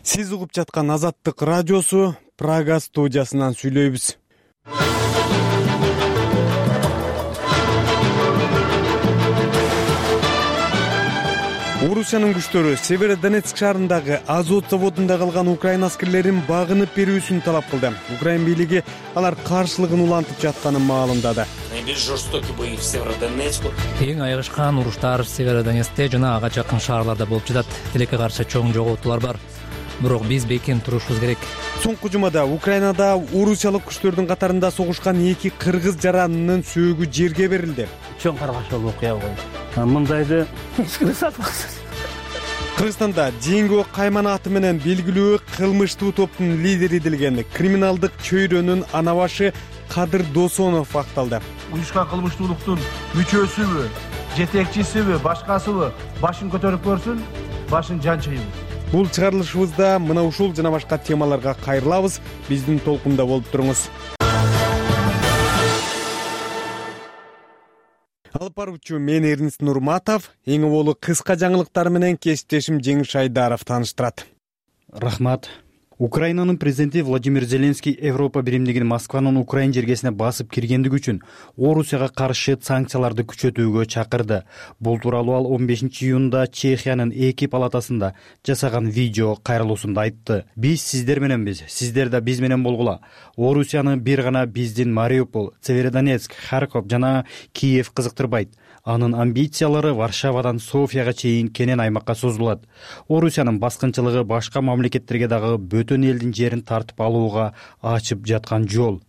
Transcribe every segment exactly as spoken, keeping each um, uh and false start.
Сиз угуп жаткан Азаттык радиосу, Прага студиясынан сүйлөйбүз. Орусиянын күчтөрү Северодонецк шаарындагы Азот заводунда калган украин аскерлерин багынып берүүсүн талап кылды. Украин бийлиги алар каршылыгын улантып жатканын маалымдады. Эң айгышкан уруштар Северодонецкте жана ага жакын шаарларда болуп жатат. Тилекке каршы чоң жоготуулар бар. Бирок биз бекем турушубуз керек. Соңку жумада Украинада орусиялык күчтөрдүн катарында согушкан эки кыргыз жаранынын сөөгү жерге берилди. Чоң каргашуу окуя болду. Мындайды эч ким сатпас. Кыргызстанда Динго Кайман аты менен белгилүү кылмыштуу топтун лидери делген криминалдык чөйрөнүн анабашы Кадыр Досонов акталды. Уюшкан кылмыштуулуктун мүчөсүбү, жетекчисиби, башкасыбы башын көтөрүп көрсүн, башын жанчыйбы. Бул чыгарылышыбызда мына ушул жана башка темаларга кайрылабыз. Биздин толкунда болуп туруңуз. Алып баруучу мен Эрнис Нурматов, эң болу кыска жаңылыктар менен кесиптешим Жеңиш Айдаров тааныштырат. Рахмат. Украинанын президенти Владимир Зеленский Европа биримдигин Москванын Украин жергесине басып киргендиги үчүн Орусияга каршы санкцияларды күчөтүүгө чакырды. Бул тууралуу ал он бешинчи июнда Чехиянын эки палатасында жасаган видео кайрылуусунда айтты. Биз сиздер мененбиз, сиздер да биз менен болгула. Орусияны бир гана биздин Мариуполь, Северодонецк, Харьков жана Киев кызыктырбайт. Анын амбициялары Варшавадан Софияга чейин кенен аймакка созулат. Орусиянын баскынчылыгы башка мамлекеттерге дагы бөтөн элдин жерин тартып алууга ачып жаткан жол,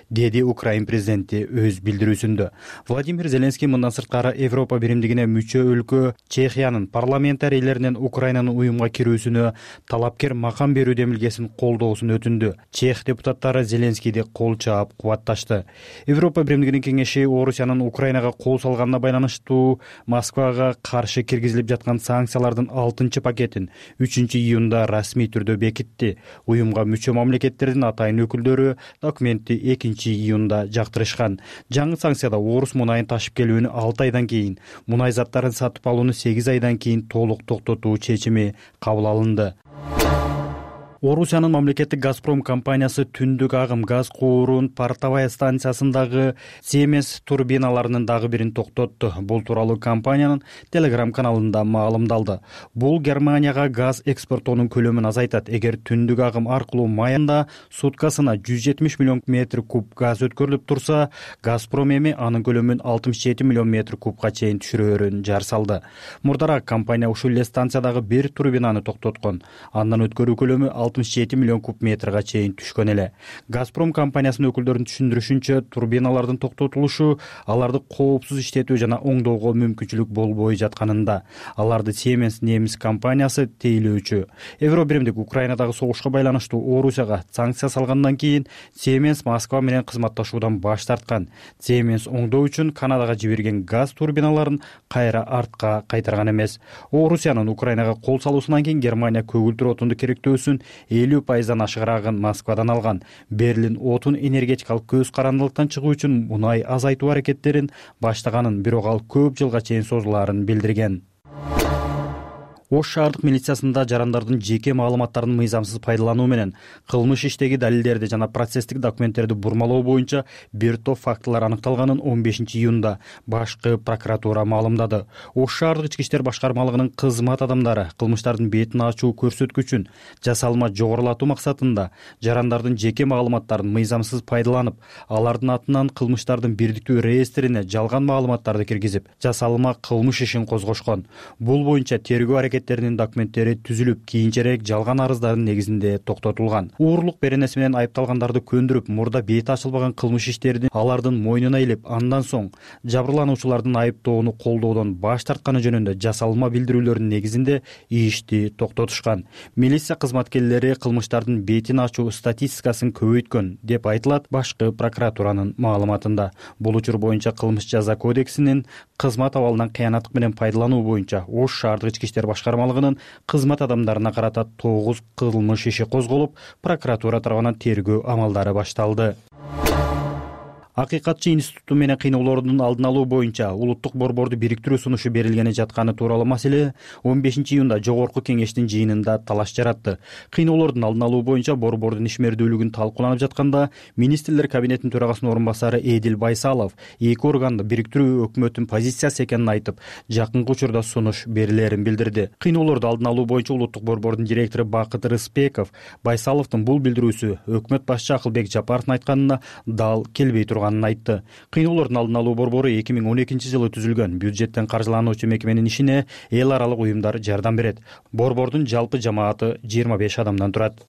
деди Украин президенти өз билдирүүсүндө. Владимир Зеленский мындан сырткары Европа биримдигине мүчө өлкө Чехиянын парламентарийлеринен Украинанын уюмга кирүүсүнө талапкер макам берүү демилгесин колдоосун өтүндү. Чех депутаттары Зеленскийди кол чаап кубатташты. Европа биримдигинин кеңеши Орусиянын Украинага кол салганына байланыштуу Москвага каршы киргизилип жаткан санкциялардын алтынчы пакетин үчүнчү июнда расмий түрдө бекитти. Уюмга мүчө мамлекеттердин атайын өкүлдөрү документти экинчи июнда жактырышкан. Жаңы санкцияда орус мунайын ташып келүүнү алты айдан кийин, мунай заттарын сатып алууну сегиз айдан кийин толук токтотуу чечими кабыл алынды. Орусиянын мамлекеттик Газпром компаниясы түндүк агым газ куурун Портовая станциясындагы Siemens турбиналарынын дагы бирин токтотту. Бул тууралуу компаниянын Telegram каналында маалымдалды. Бул Германияга газ экспортоонун көлөмүн азайтат. Эгер түндүк агым аркылуу майында суткасына жүз жетимиш миллион метр куб газ өткөрүлүп турса, Газпром эми анын көлөмүн алтымыш жети миллион метр кубка чейин түшүрөөрүн жар салды. Мурдараак компания ушул эле станциядагы бир турбинаны токтоткон. Андан өткөрүү көлөмү алтымыш жети миллион куб метрге чейин түшкөн эле. Газпром компаниясынын өкүлдөрүнүн түшүндүрүшүнчө, турбиналардын токтотулушу аларды коопсуз иштетүү жана оңдоого мүмкүнчүлүк болбой жатканында. Аларды Siemens немис компаниясы тейлөөчү. Евробиримдик Украинадагы согушка байланыштуу Орусияга санкция салгандан кийин Siemens Москва менен кызматташуудан баш тарткан. Siemens оңдоо үчүн Канадага жиберген газ турбиналарын кайра артка кайтарган эмес. Орусиянын Украинага кол салуусунан кийин Германия көгүлтүр отунду керектөөсүн элүү пайыздан ашыгыраагын Москвадан алган. Берлин отун энергетикалык көз карандылыктан чыгуу үчүн мунай азайтуу аракеттерин баштаганын, бирок ал көп жылга чейин созулаарын билдирген. Ош шаардык милициясында жарандардын жеке маалыматтарын мыйзамсыз пайдалануу менен кылмыш иштеги далилдерди жана процесстик документтерди бурмалоо боюнча бир топ фактылар аныкталганын он бешинчи июнда башкы прокуратура маалымдады. Ош шаардык ички иштер башкармалыгынын кызмат адамдары кылмыштардын бетин ачуу көрсөткүчүн жасалма жогорулатуу максатында жарандардын жеке маалыматтарын мыйзамсыз пайдаланып, алардын атынан кылмыштардын бирдиктүү реестрине жалган маалыматтарды киргизип, жасалма кылмыш ишин козгошкон. Бул боюнча тергөө аракеттеринин документтери түзүлүп, кийинчерээк жалган арыздардын негизинде токтотулган. Уурлук беренеси менен айыпталгандарды көндүрүп, мурда бети ачылбаган кылмыш иштерди алардын мойнуна илип, андан соң жабырлануучулардын айыптоону колдоодон баш тартканы жөнүндө жасалма билдирүүлөрдүн негизинде ишти токтотушкан. Милиция кызматкерлери кылмыштардын бетин ачуу статистикасын көбөйткөн деп айтылат башкы прокуратуранын маалыматында. Бул учур боюнча кылмыш жаза кодексинин кызмат абалынан кыянаттык менен пайдалануу боюнча Ош шаардык ички иштер башкармалыгынын кызмат адамдарына карата тогуз кылмыш иши козголуп, прокуратура тарабынан тергөө амалдары башталды. Акыйкатчы институту менен кыйноолордун алдын алуу боюнча улуттук борборду бириктирүү сунушу берилгени жатканы тууралуу маселе он бешинчи июнда жогорку кеңештин жыйынында талаш жаратты. Кыйноолордун алдын алуу боюнча борбордун ишмердүүлүгүн талкууланып жатканда министрлер кабинетинин төрагасынын орун басары Эдил Байсалов эки органды бириктирүү өкмөттүн позициясы экенин айтып, жакынкы учурда сунуш берилерин билдирди. Кыйноолорду алдын алуу боюнча улуттук борбордун директору Бакыт Рыспеков Байсаловдун бул билдирүүсү өкмөт башчы Акылбек Жапаровдун айтканына дал келбей турган айтты. Кыйноолордун алдын алуу борбору эки миң он экинчи жылы түзүлгөн, бюджеттен каржылануучу мекеменин ишине эл аралык уюмдар жардам берет. Борбордун жалпы жамааты жыйырма беш адамдан турат.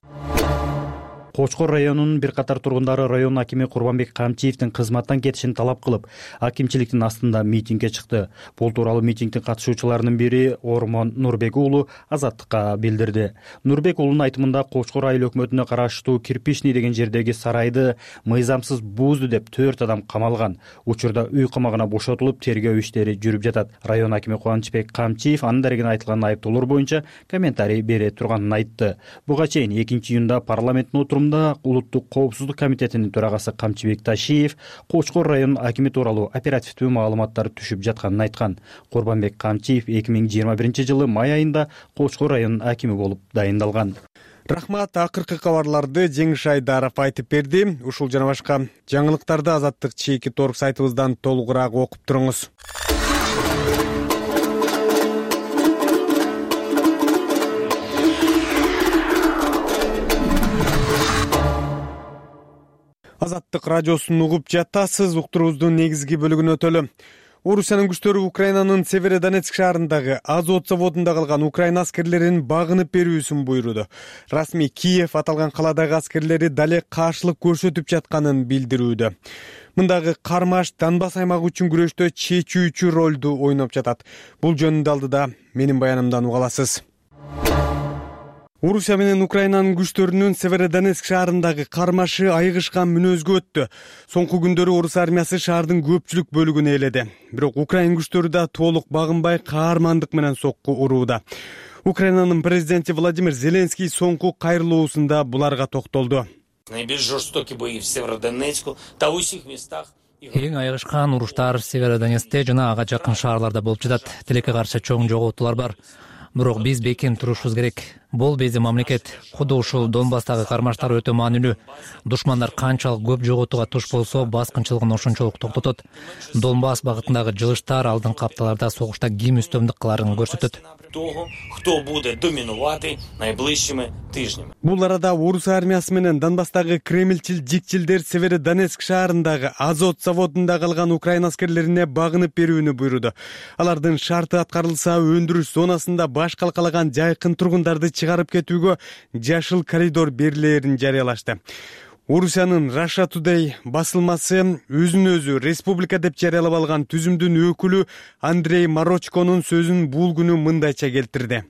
Кочкор районунун бир катар тургундары район акими Курбанбек Камчиевдин кызматтан кетишин талап кылып, акимчиликтин астында митингге чыкты. Бул тууралуу митингдин катышуучуларынын бири Ормон Нурбек уулу Азаттыкка билдирди. Нурбек уулунун айтымында Кочкор айыл өкмөтүнө караштуу Кирпичный деген жердеги сарайды мыйзамсыз бузду деп төрт адам камалган. Учурда үй камагына бошотулуп, тергөө иштери жүрүп жатат. Район акими Кубанычбек Камчиев анын дарегине айтылган айыптоолор боюнча комментарий бере турганын айтты. Буга чейин экинчи июнда парламенттин отурумунда Улуттук коопсуздук комитетинин төрагасы Камчыбек Ташиев Кочкор районунун акими тууралуу оперативдүү маалыматтар түшүп жатканын айткан. Курбанбек Камчиев эки миң жыйырма биринчи жылы май айында Кочкор районунун акими болуп дайындалган. Рахмат, акыркы кабарларды Жеңиш Айдаров айтып берди. Ушул жана башка жаңылыктарды Азаттык чеки торг сайтыбыздан толугураак окуп туруңуз. Азаттык радиосун угуп жатасыз. Уктуруубуздун негизги бөлүгүнө өтөлү. Орусиянын күчтөрү Украинанын Северодонецк шаарындагы Азот заводунда калган Украина аскерлерин багынып берүүсүн буйруду. Расмий Киев аталган каладагы аскерлери дале каршылык көрсөтүп жатканын билдирүүдө. Мындагы кармаш Донбасс аймагы үчүн күрөштө чечүүчү ролду ойноп жатат. Бул жөнүндө алдыда менин баянымдан уга аласыз. Орусия менен Украинанын күчтөрүнүн Северодонецк шаарындагы кармашы айыгышкан мүнөзгө өттү. Соңку күндөрү орус армиясы шаардын көпчүлүк бөлүгүн ээледи. Бирок Украин күчтөрү да толук багынбай каармандык менен сокку урууда. Украинанын президенти Владимир Зеленский соңку кайрылуусунда буларга токтолду. Наиболее жестокие бои в Северодонецку, да у всех местах. Эң айыгышкан уруштар Северодонецкте жана ага жакын шаарларда болуп жатат. Тилекке каршы чоң жоготуулар бар. Бирок биз бекем турушубуз керек. Бул биздин мамлекет. Куду ушул Донбасстагы кармаштар өтө маанилүү. Душмандар канчалык көп жоготууга туш болсо, баскынчылыгын ошончолук токтотот. Донбасс багытындагы жылыштар алдыңкы апталарда согушта ким үстөмдүк кыларын көрсөтөт. Того, кто будет доминувати найближчими тижнями. Бул арада орус армиясы менен Донбасстагы кремлчил жикчилдер Северодонецк шаарындагы Азот заводунда калган Украина аскерлерине багынып берүүнү буйруду. Алардын шарты аткарылса, өндүрүш зонасында баш калкалаган жайкын тургундарды чыгарып кетүүгө жашыл коридор берилерин жарыялашты. Орусиянын Russia Today басылмасы өзүн өзү республика деп жарыялап алган түзүмдүн өкүлү Андрей Марочконун сөзүн бул күнү мындайча келтирди.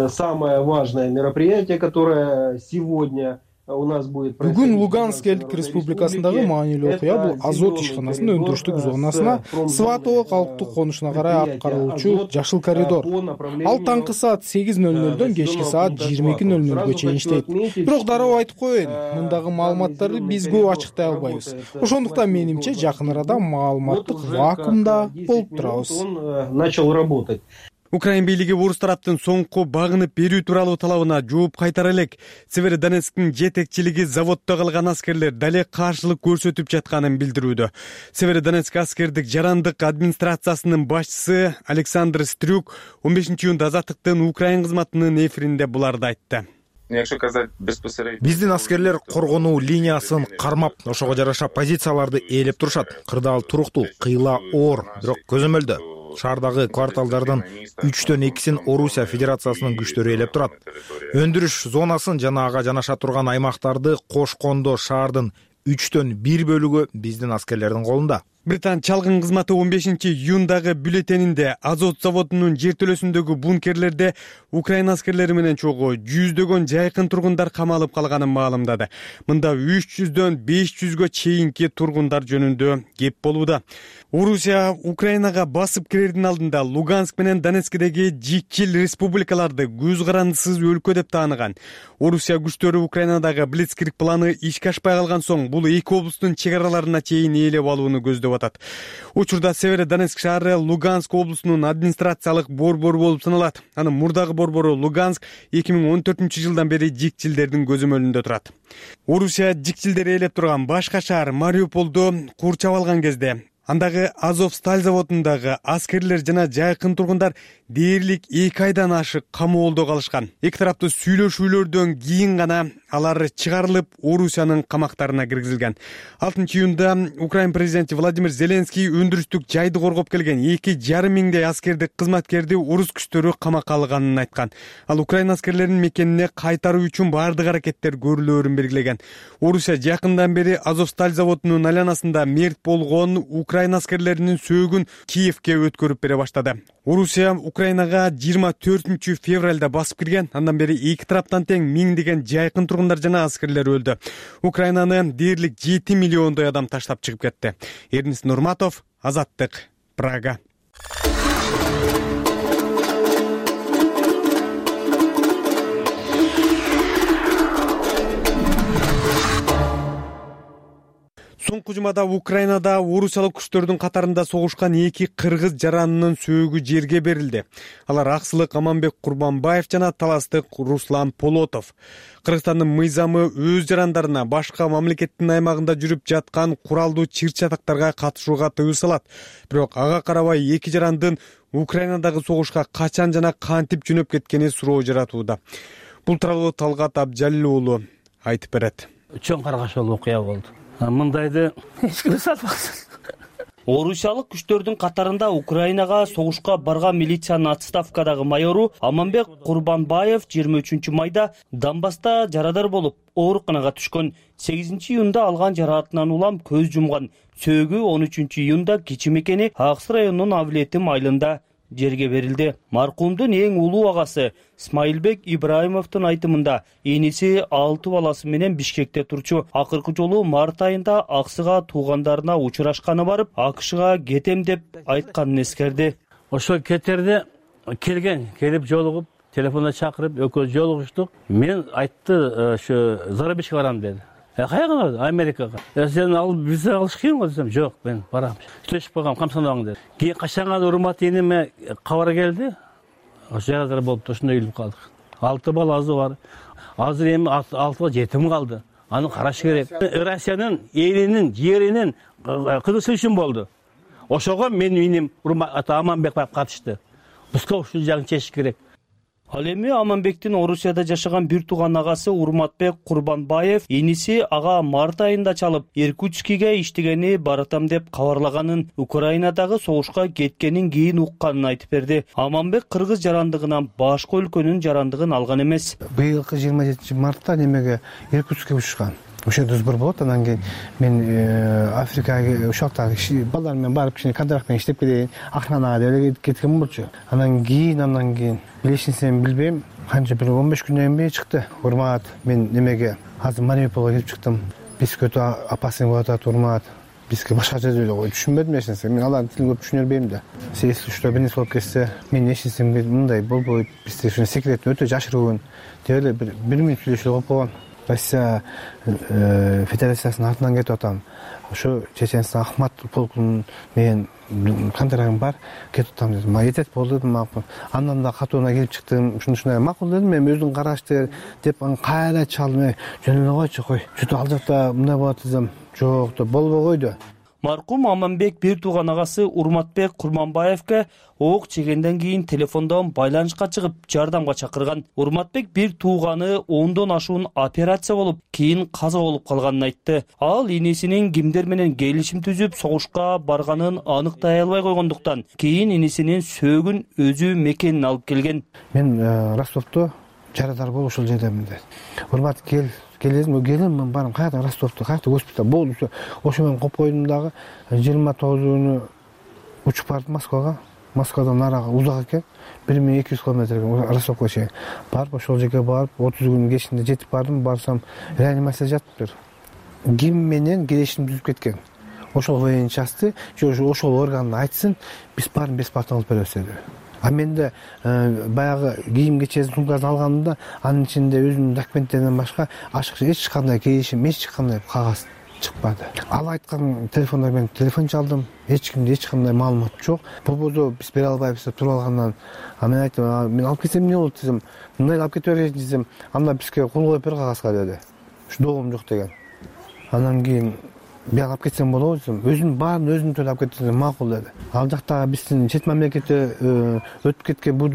Самое важное мероприятие, которое сегодня у нас будет. Бүгүн Луганск элдик республикасындагы маанилүү окуя бул Азот ишканасынын өндүрүштүк зонасына Сватово калктык конушуна карай алып каралуучу жашыл коридор. Ал таңкы саат сегиз нөл нөлдөн кечки саат жыйырма эки нөл нөлгө чейин иштейт. Бирок дароо айтып коеюн, мындагы маалыматтарды биз көп ачыктай албайбыз. Ошондуктан менимче жакын арада маалыматтык вакуумда болуп турабыз. Начал работать. Украин бийлиги орус тараптын соңку багынып берүү тууралуу талабына жооп кайтара элек. Северодонецктин жетекчилиги заводдо калган аскерлер дале каршылык көрсөтүп жатканын билдирүүдө. Северодонецк аскердик жарандык администрациясынын башчысы Александр Стрюк он бешинчи июнда Азаттыктын Украин кызматынын эфиринде буларды айтты. Биздин аскерлер коргонуу линиясын кармап, ошого жараша позицияларды ээлеп турушат. Кырдаал туруктуу, кыйла оор, бирок көзөмөлдө. Шаардагы кварталдардын үчтөн экисин Орусия Федерациясынын күчтөрү ээлеп турат. Өндүрүш зонасын жана ага жанаша турган аймактарды кошкондо шаардын үчтөн бир бөлүгү биздин аскерлердин колунда. Британ чалгын кызматы он бешинчи июндагы бюллетенинде Азот заводунун жертөлөсүндөгү бункерлерде Украина аскерлери менен чогуу жүздөгөн жайкын тургундар камалып калганын маалымдады. Мында үч жүздөн беш жүзгө чейинки тургундар жөнүндө кеп болууда. Орусия Украинага басып кирердин алдында Луганск менен Донецкдеги жикчил республикаларды көз карандысыз өлкө деп тааныган. Орусия күчтөрү Украинадагы Блицкриг планы ишке ашпай калган соң бул эки облустун чек араларына чейин ээлеп алууну көздөп атат. Учурда Северодонецк шаары Луганск облусунун администрациялык борбору болуп саналат. Анын мурдагы борбору Луганск эки миң он төртүнчү жылдан бери жикчилдердин көзөмөлүндө турат. Орусия жикчилдер ээлеп турган башка шаар Мариуполду курчап алган кезде андагы Азовсталь заводундагы аскерлер жана жайкын тургундар дээрлик эки айдан ашык камоолдо калышкан. Эки тараптуу сүйлөшүүлөрдөн кийин гана алар чыгарылып, Орусиянын камактарына киргизилген. алтынчы июнда Украин президенти Владимир Зеленский өндүрүштүк жайды коргоп келген эки жарым миңдей аскерди кызматкерди орус күчтөрү камакка алганын айткан. Ал Украин аскерлерин мекенине кайтаруу үчүн бардык аракеттер көрүлөөрүн белгилеген. Орусия жакындан бери Азовсталь заводунун айланасында мерт болгон Украин аскерлеринин сөөгүн Киевке өткөрүп бере баштады. Орусия Украинага жыйырма төртүнчү февралда басып кирген. Андан бери эки тараптан тең миңдеген жайкын тургундар жана аскерлер өлдү. Украинаны дээрлик жети миллиондой адам таштап чыгып кетти. Эрнис Нурматов, Азаттык, Прага. Соңку жумада Украинада орусиялык күчтөрдүн катарында согушкан эки кыргыз жаранынын сөөгү жерге берилди. Алар аксылык Аманбек Курбанбаев жана таластык Руслан Полотов. Кыргызстандын мыйзамы өз жарандарына башка мамлекеттин аймагында жүрүп жаткан куралдуу чыр-чатактарга катышууга тыюу салат. Бирок ага карабай эки жарандын Украинадагы согушка качан жана кантип жөнөп кеткени суроо жаратууда. Бул тууралуу Талгат Абжалил уулу айтып берет. Чоң каргашуу окуя болду. Мындайды эч ким сатпаксыз. Орусиялык күчтөрдүн катарында Украинага согушка барган милициянын отставкадагы майору Аманбек Курбанбаев жыйырма үчүнчү майда Донбасста жарадар болуп, ооруканага түшкөн. сегизинчи июнда алган жараатынан улам көз жумган. Сөөгү он үчүнчү июнда кичи мекени Аксы районунун Авлетим айылында жерге берилди. Маркумдун эң улуу агасы Смайылбек Ибраимовдун айтымында эниси алты баласы менен Бишкекте турчу. Акыркы жолу март айында Аксыга туугандарына учурашканы барып, АКШга кетем деп айтканын эскерди. Ошо кетерде келген, келип жолугуп, телефонда чакырып, экөөбүз жолугуштук. Мен айтты, ошо Зарабишке барам деди. Э каяга барды? Америкага. Э сен ал виза алыш кыйын го десем, жок, мен барам. Сүйлөшүп койгом, камсанабаң деди. Кийин качанга урмат эниме кабар келди. Ошо жарадар болуп ошондой үйлүп калдык. Алты баласы бар. Азыр эми алтыга жетим калды. Аны караш керек. Россиянын элинин, жеринин кызышы үчүн болду. Ошого менин иним урмат Аманбек барып катышты. Бизге ушул жагын чечиш керек. Ал эми Аманбектин Орусияда жашаган бир тууган агасы Урматбек Курбанбаев иниси ага март айында чалып, Иркутскиге иштегени баратам деп кабарлаганын, Украинадагы согушка кеткенин кийин укканын айтып берди. Аманбек кыргыз жарандыгынан башка өлкөнүн жарандыгын алган эмес. Быйылкы жыйырма жетинчи мартта немеге Иркутскке учушкан. Ошо сбор болот, анан кийин мен Африкага ушакта балдар менен барып кичине контракт менен иштеп келейин, охранага деп кеткен болчу. Анан кийин андан кийин билесиңсен билбейм, канча бир он беш күндөн кийин чыкты. Урмат, мен немеге азыр Мариуполго келип чыктым. Бизге өтө опасный болуп атат Урмат. Бизге башка жерде эле түшүнбөдүм эч нерсе. Мен алардын тилин көп түшүнө бербейм да. Если что бир нерсе болуп кетсе, мен эч нерсе мындай болбойт. Бизде ушул секретин өтө жашыруун деп эле бир минут сүйлөшүп алып койгон. Россия Федерациясынын артынан кетип атам. Ошо Чеченстан Ахмат полкунун менен контрагым бар, кетип атам дедим. Жетет болду дедим, макул. Андан да катууна келип чыктым. Ушундай макул дедим, мен өзүң карашты деп анан кайра чалдым. Жөн эле койчу, кой. Чүтү ал жакта мындай болот десем, жок деп болбой койду. Маркум Аманбек бир тууган агасы Урматбек Курманбаевке ок чегенден кийин телефондон байланышка чыгып, жардамга чакырган. Урматбек бир тууганы ондон ашуун операция болуп, кийин каза болуп калганын айтты. Ал инисинин кимдер менен келишим түзүп, согушка барганын аныктай албай койгондуктан, кийин инисинин сөөгүн өзү мекенин алып келген. Мен Ростовдо жарадар болуп ушул жердемин деди. Урмат кел, келем келем мен барам каяка Ростовто каяка госпиталь болду. Ошо менен коюп койдум дагы жыйырма тогузуну учуп бардым Москвага. Москвадан нарага узак экен, бир миң эки жүз километр экен Ростовго чейин. Барып ошол жерге барып отуз күнүн кечинде жетип бардым. Барсам реанимацияда жатыптыр. Ким менен келишим түзүп кеткен. Ошол военный частты же ошол органды айтсын, биз баарын бесплатно алып беребиз деди. А менде баягы кийим кечесин сумкасын алганымда анын ичинде өзүмдүн документтерден башка ашыкча эч кандай келишим, эч кандай кагаз чыкпады. Ал айткан телефондор менен телефон чалдым. Эч кимде эч кандай маалымат жок. Болбосо биз бере албайбыз деп туруп алгандан мен айттым, мен алып кетсем эмне болот десем, мындай алып кете берейин десем, анда бизге кол коюп бер кагазга деди. Ушу доогум жок деген. Андан кийин мен алып кетсем болобу десем, өзүнүн баарын өзүнүн төлөп алып кетсем макул деди. Ал жактагы биздин чет мамлекетте өтүп кеткен бул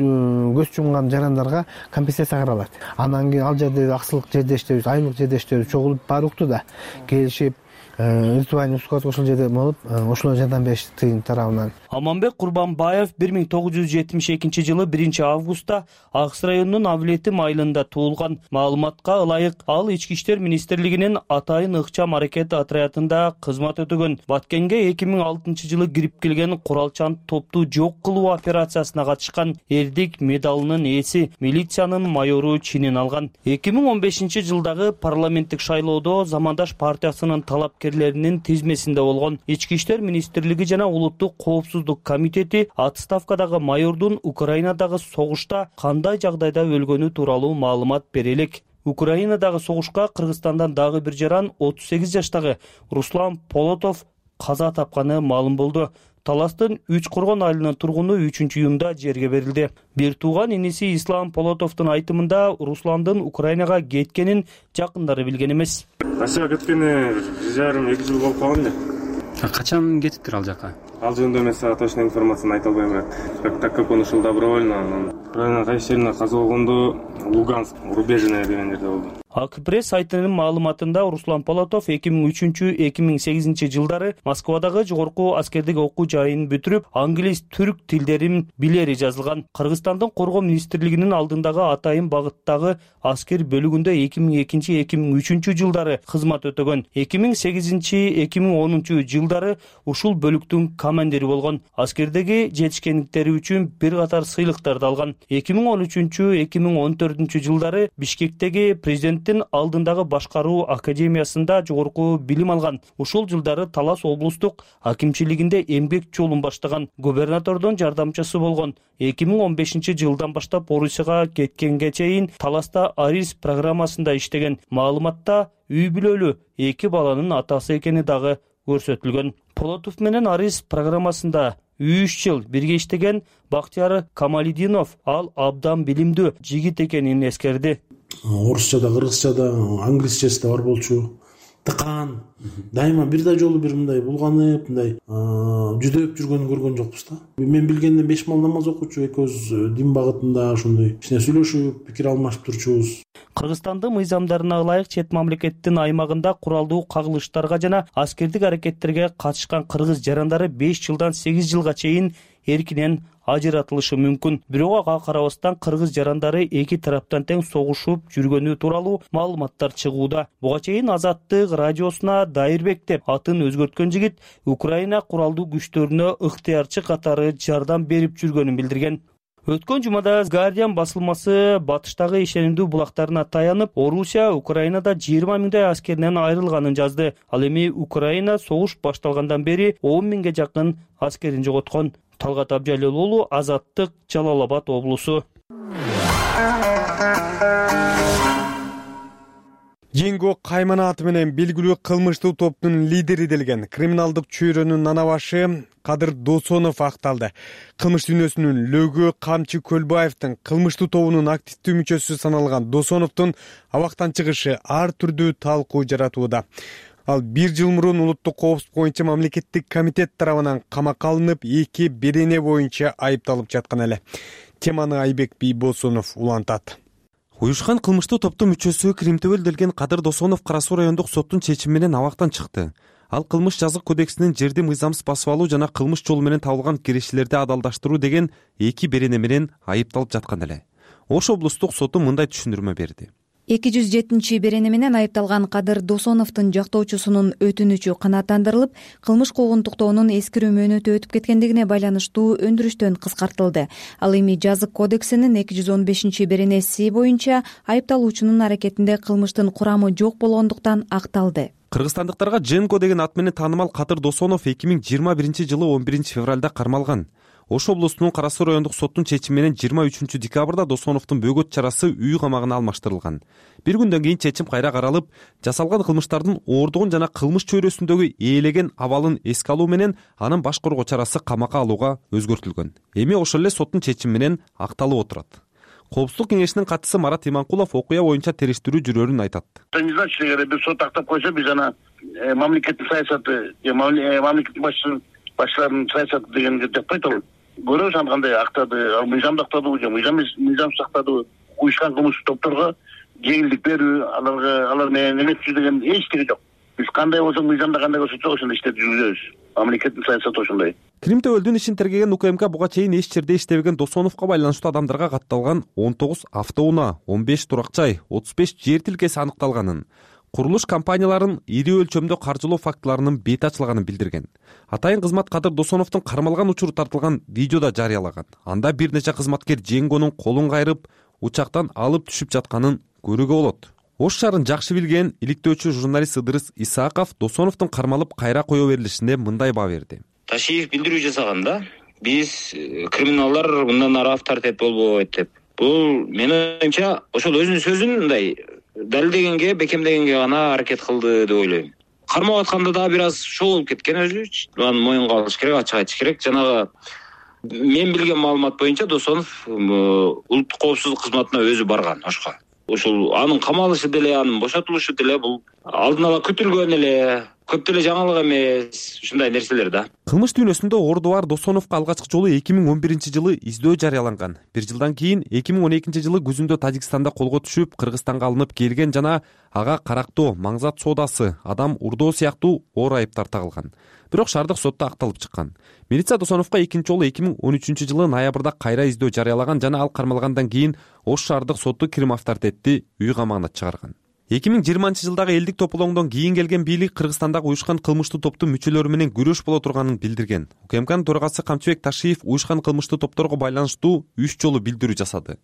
көз жумган жарандарга компенсация каралат. Андан кийин ал жерде аксылык жердештерибиз, айлык жердештерибиз чогулуп баары укту да, келишип виртуальный склад ошол жерде болуп, ошолор жардам беришти тыйын тарабынан. Аманбек Курбанбаев бир миң тогуз жүз жетимиш экинчи жылы биринчи августта Акс районунун Авлетим айылында туулган. Маалыматка ылайык, ал Ички иштер министрлигинин Атайын ыкчам аракет отрядында кызмат өтөгөн. Баткенге эки миң алтынчы жылы кирип келген куралчан топту жок кылуу операциясына катышкан эрдик медалынын ээси, милициянын майору чинин алган. эки миң он бешинчи жылдагы парламенттик шайлоодо Замандаш партиясынын талапкерлеринин тизмесинде болгон. Ички иштер министрлиги жана улуттук коопсуздук комитети отставкадагы майордун Украинадагы согушта кандай жагдайда өлгөнү тууралуу маалымат бере элек. Украинадагы согушка Кыргызстандан дагы бир жаран отуз сегиз жаштагы Руслан Полотов каза тапканы маалым болду. Таластын Үч Коргон айылынын тургуну үчүнчү июнда жерге берилди. Бир тууган иниси Ислам Полотовдун айтымында Русландын Украинага кеткенин жакындары билген эмес. Россияга кеткени бир жарым эки жыл болуп калган эле. Качан кетиптир ал жака? Ал жөнүндө мен сага точно информацияны айта албайм, бирок так как он ушул добровольно, Украинанын кайсы жерине каза болгондо Луганск, Рубежное деген жерде болду. Акпресс сайтынын маалыматында Руслан Полотов эки миң үчүнчү — эки миң сегизинчи жылдары Москвадагы жогорку аскердик окуу жайын бүтүрүп, англис, түрк тилдерин билери жазылган. Кыргызстандын коргоо министрлигинин алдындагы Атайын багыттагы аскер бөлүгүндө эки миң экинчи — эки миң үчүнчү жылдары кызмат өтөгөн. эки миң сегизинчи — эки миң онунчу жылдары ушул бөлүктүн командири болгон. Аскердеги жетишкендиктери үчүн бир катар сыйлыктарды алган. эки миң он үчүнчү — эки миң он төртүнчү жылдары Бишкектеги президент алдындагы башкаруу академиясында жогорку билим алган. Ушул жылдары Талас облустук акимчилигинде эмгек жолун баштаган, губернатордун жардамчысы болгон. эки миң он бешинчи жылдан баштап Орусияга кеткенге чейин Таласта Арис программасында иштеген. Маалыматта үй бүлөлүү эки баланын атасы экени дагы көрсөтүлгөн. Полотов менен Арис программасында үч жыл бирге иштеген Бактияр Камалидинов ал абдан билимдүү жигит экенин эскерди. Орусчада, кыргызчада, англисчеси да бар болчу. Тыкан. Дайыма бир да жолу бир мындай булганып, мындай жүдөп жүргөнүн көргөн жокпуз да. Мен билгенден беш мал намаз окучу, экөөбүз дин багытында ошондой кичине сүйлөшүп, пикир алмашып турчубуз. Кыргызстандын мыйзамдарына ылайык чет мамлекеттин аймагында куралдуу кагылыштарга жана аскердик аракеттерге катышкан кыргыз жарандары беш жылдан сегиз жылга чейин эркинен ажыратылышы мүмкүн. Бирок ага карабастан кыргыз жарандары эки тараптан тең согушуп жүргөнү тууралуу маалыматтар чыгууда. Буга чейин Азаттык радиосуна Дайырбек деп атын өзгөрткөн жигит Украина куралдуу күчтөрүнө ыктыярчы катары жардам берип жүргөнүн билдирген. Өткөн жумада Guardian басылмасы батыштагы ишенимдүү булактарына таянып, Орусия Украинада жыйырма миңдей аскеринен айрылганын жазды. Ал эми Украина согуш башталгандан бери он миңге жакын аскерин жоготкон. Талгат Абжалил уулу, Азаттык, Жалал Абад облусу. Жеңго Кайманаты менен белгилүү кылмыштуу топтун лидери делген криминалдык чөйрөнүн нанабашы Кадыр Досонов акталды. Кылмыш дүйнөсүнүн лөгү Камчы Көлбаевдин кылмыштуу тобунун активдүү мүчөсү саналган Досоновдун абактан чыгышы ар түрдүү талкуу жаратууда. Ал бир жыл мурун улуттук коопсуздук боюнча мамлекеттик комитет тарабынан камакка алынып, эки берене боюнча айыпталып жаткан эле. Теманы Айбек Бийбосунов улантат. Уюшкан кылмыштуу топтун мүчөсү Кримтөбөл делген Кадыр Досонов Кара Суу райондук соттун чечими менен абактан чыкты. Ал кылмыш жазык кодексинин жерди мыйзамсыз басып алуу жана кылмыш жолу менен табылган кирешилерди адалдаштыруу деген эки берене менен айыпталып жаткан эле. Ош облустук соту мындай түшүндүрмө берди. эки жүз жетинчи берене менен айыпталган Кадыр Досоновдун жактоочусунун өтүнүчү канааттандырылып, кылмыш куугунтуктоонун эскирүү мөөнөтү өтүп кеткендигине байланыштуу өндүрүштөн кыскартылды. Ал эми жазык кодексинин эки жүз он бешинчи беренеси боюнча айыпталуучунун аракетинде кылмыштын курамы жок болгондуктан акталды. Кыргызстандыктарга Женко деген ат менен таанымал Кадыр Досонов эки миң жыйырма биринчи жылы он биринчи февралда кармалган. Ош облусунун Кара Суу райондук соттун чечими менен жыйырма үчүнчү декабрда Досоновдун бөгөт чарасы үй камагына алмаштырылган. Бир күндөн кийин чечим кайра каралып, жасалган кылмыштардын оордугун жана кылмыш чөйрөсүндөгү ээлеген абалын эске алуу менен анын баш коргоо чарасы камакка алууга өзгөртүлгөн. Эми ошол эле соттун чечими менен акталып отурат. Коопсуздук кеңешинин катчысы Марат Иманкулов окуя боюнча териштирүү жүрөрүн айтат. Не значит, эгер бир сот актап койсо, биз ана мамлекеттик саясаты, мамлекеттик башчылардын саясаты дегенди деп айталы. Көрөбүз аны кандай актады, мыйзамды актадыбы же мыйзамсыз актадыбы, уюшкан кылмыштык топторго жеңилдик берүү, аларга алар менен эметчү деген эчтеке жок. Биз кандай болсо мыйзамда кандай көрсөтсөк ошондой иштеп жүргүзөбүз. Мамлекеттин саясаты ошондой. Крим Төбөлдүн ишин тергеген УКМК буга чейин эч жерде иштебеген Досоновго байланыштуу адамдарга катталган он тогуз автоунаа, он беш турак жай, отуз беш жер тилкеси аныкталганын, курулуш компанияларын ири өлчөмдө каржылоо фактыларынын бети ачылганын билдирген. Атайын кызмат Кадыр Досоновдун кармалган учуру тартылган видеода жарыялаган. Анда бир нече кызматкер Женгонун колун кайрып, учактан алып түшүп жатканын көрүүгө болот. Ош шаарын жакшы билген иликтөөчү журналист Ыдырыс Исааков Досоновдун кармалып кайра кое берилишине мындай баа берди. Ташиев билдирүү жасаганда биз криминалдар мындан ары авторитет болбойт деп. Бул менин оюмча ошол өзүнүн сөзүн мындай далилдегенге, бекемдегенге гана аракет кылды деп ойлойм. Кармап атканда да бир аз шоу болуп кеткен өзү. Аны моюнга алыш керек, ачык айтыш керек. Жанагы мен билген маалымат боюнча Досонов улуттук коопсуздук кызматына өзү барган Ошко. Ошол анын камалышы деле, анын бошотулушу деле бул алдын ала күтүлгөн эле, көп деле жаңылык эмес, ушундай нерселер да. Кылмыш дүйнөсүндө ордубар Досоновго алгачкы жолу эки миң он биринчи жылы издөө жарыяланган. Бир жылдан кийин эки миң он экинчи жылы күзүндө Тажикстанда колго түшүп, Кыргызстанга алынып келген жана ага карактоо, маңзат соодасы, адам урдоо сыяктуу оор айыптар тагылган. Бирок шаардык сотто акталып чыккан. Милиция Досоновго экинчи жолу эки миң он үчүнчү жылы ноябрда кайра издөө жарыялаган жана ал кармалгандан кийин Ош шаардык соту Крим авторитетти үй камагына чыгарган. эки миң жыйырманчы жылдагы элдик тополоңдон кийин келген бийлик Кыргызстандагы уюшкан кылмыштуу топтун мүчөлөрү менен күрөш боло турганын билдирген. УКМКнын төрагасы Камчыбек Ташиев уюшкан кылмыштуу топторго байланыштуу үч жолу билдирүү жасады.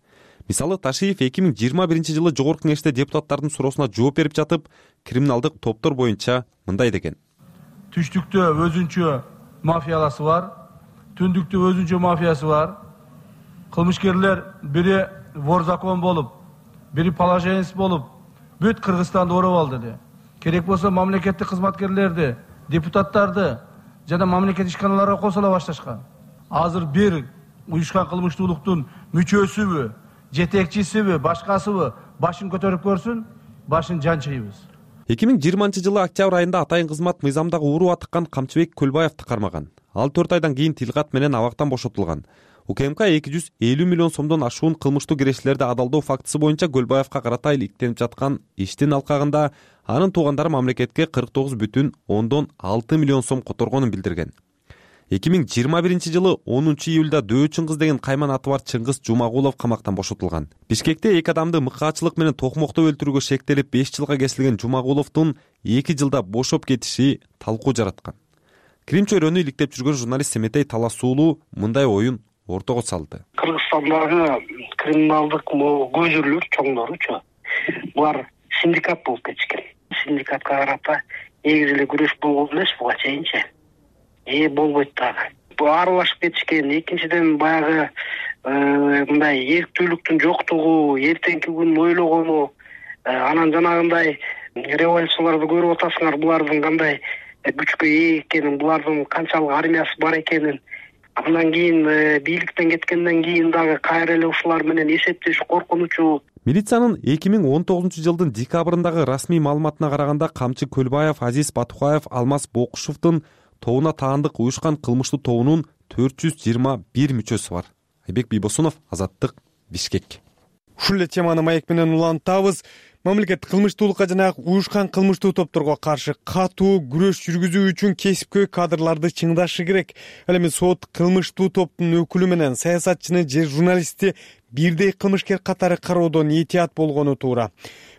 Мисалы, Ташиев эки миң жыйырма биринчи жылы Жогорку Кеңеште депутаттардын суроосуна жооп берип жатып, криминалдык топтор боюнча мындай деген. Түштүктө өзүнчө мафияласы бар, түндүктө өзүнчө мафиясы бар. Кылмышкерлер бири вор закон болуп, бири положенец болуп, бүт Кыргызстанды ороп алды де. Керек болсо мамлекеттик кызматкерлерди, депутаттарды жана мамлекеттик ишканаларга косула башташкан. Азыр бир уюшкан кылмыштуулуктун мүчөсүбү, жетекчисиби, башкасыбы башын көтөрүп көрсүн, башын жанчыйбыз. эки миң жыйырманчы жылы октябрь айында атайын кызмат мыйзамдагы уруу атыккан Камчыбек Көлбаевди кармаган. Ал төрт айдан кийин тилкат менен абактан бошотулган. УКМК эки жүз элүү миллион сомдон ашуун кылмыштуу кирешилерди адалдоо фактысы боюнча Көлбаевга карата иликтенип жаткан иштин алкагында анын туугандары мамлекетке кырк тогуз бүтүн ондон алты миллион сом которгонун билдирген. эки миң жыйырма биринчи жылы онунчу июлда Дөө Чыңгыз деген кайман аты бар Чыңгыз Жумагулов камактан бошотулган. Бишкекте эки адамды мыкаачылык менен токмоктоп өлтүрүүгө шектелип беш жылга кесилген Жумагуловдун эки жылда бошоп кетиши талкуу жараткан. Крим чөйрөнү иликтеп жүргөн журналист Семетей Таласуулуу мындай оюн ортого салды. Кыргызстандагы криминалдык көзүрлөр чоңдоручу булар синдикат болуп кетишкен. Синдикатка карата негизи эле күрөш болгон эмес буга чейинчи. Э болбойт дагы. Бу аралашып кетишкен. Экинчиден баягы мындай эрктүүлүктүн жоктугу, эртеңки күнүн ойлогону, анан жанагындай революцияларды көрүп атасыңар, булардын кандай күчкө ээ экенин, булардын канчалык армиясы бар экенин. Андан кийин бийликтен кеткенден кийин дагы кайра эле ушулар менен эсептешүү коркунучу. Милициянын эки миң он тогузунчу жылдын декабрындагы расмий маалыматына караганда Камчы Көлбаев, Азиз Батукаев, Алмаз Бокушевдун тобуна таандык уюшкан кылмыштуу тобунун төрт жүз жыйырма бир мүчөсү бар. Айбек Бийбосунов, Азаттык, Бишкек. Ушул эле теманы маек менен улантабыз. Мамлекет кылмыштуулукка жана уюшкан кылмыштуу топторго каршы катуу күрөш жүргүзүү үчүн кесипкөй кадрларды чыңдашы керек. Ал эми сот кылмыштуу топтун өкүлү менен саясатчыны же журналистти бирдей кылмышкер катары кароодон этият болгону туура.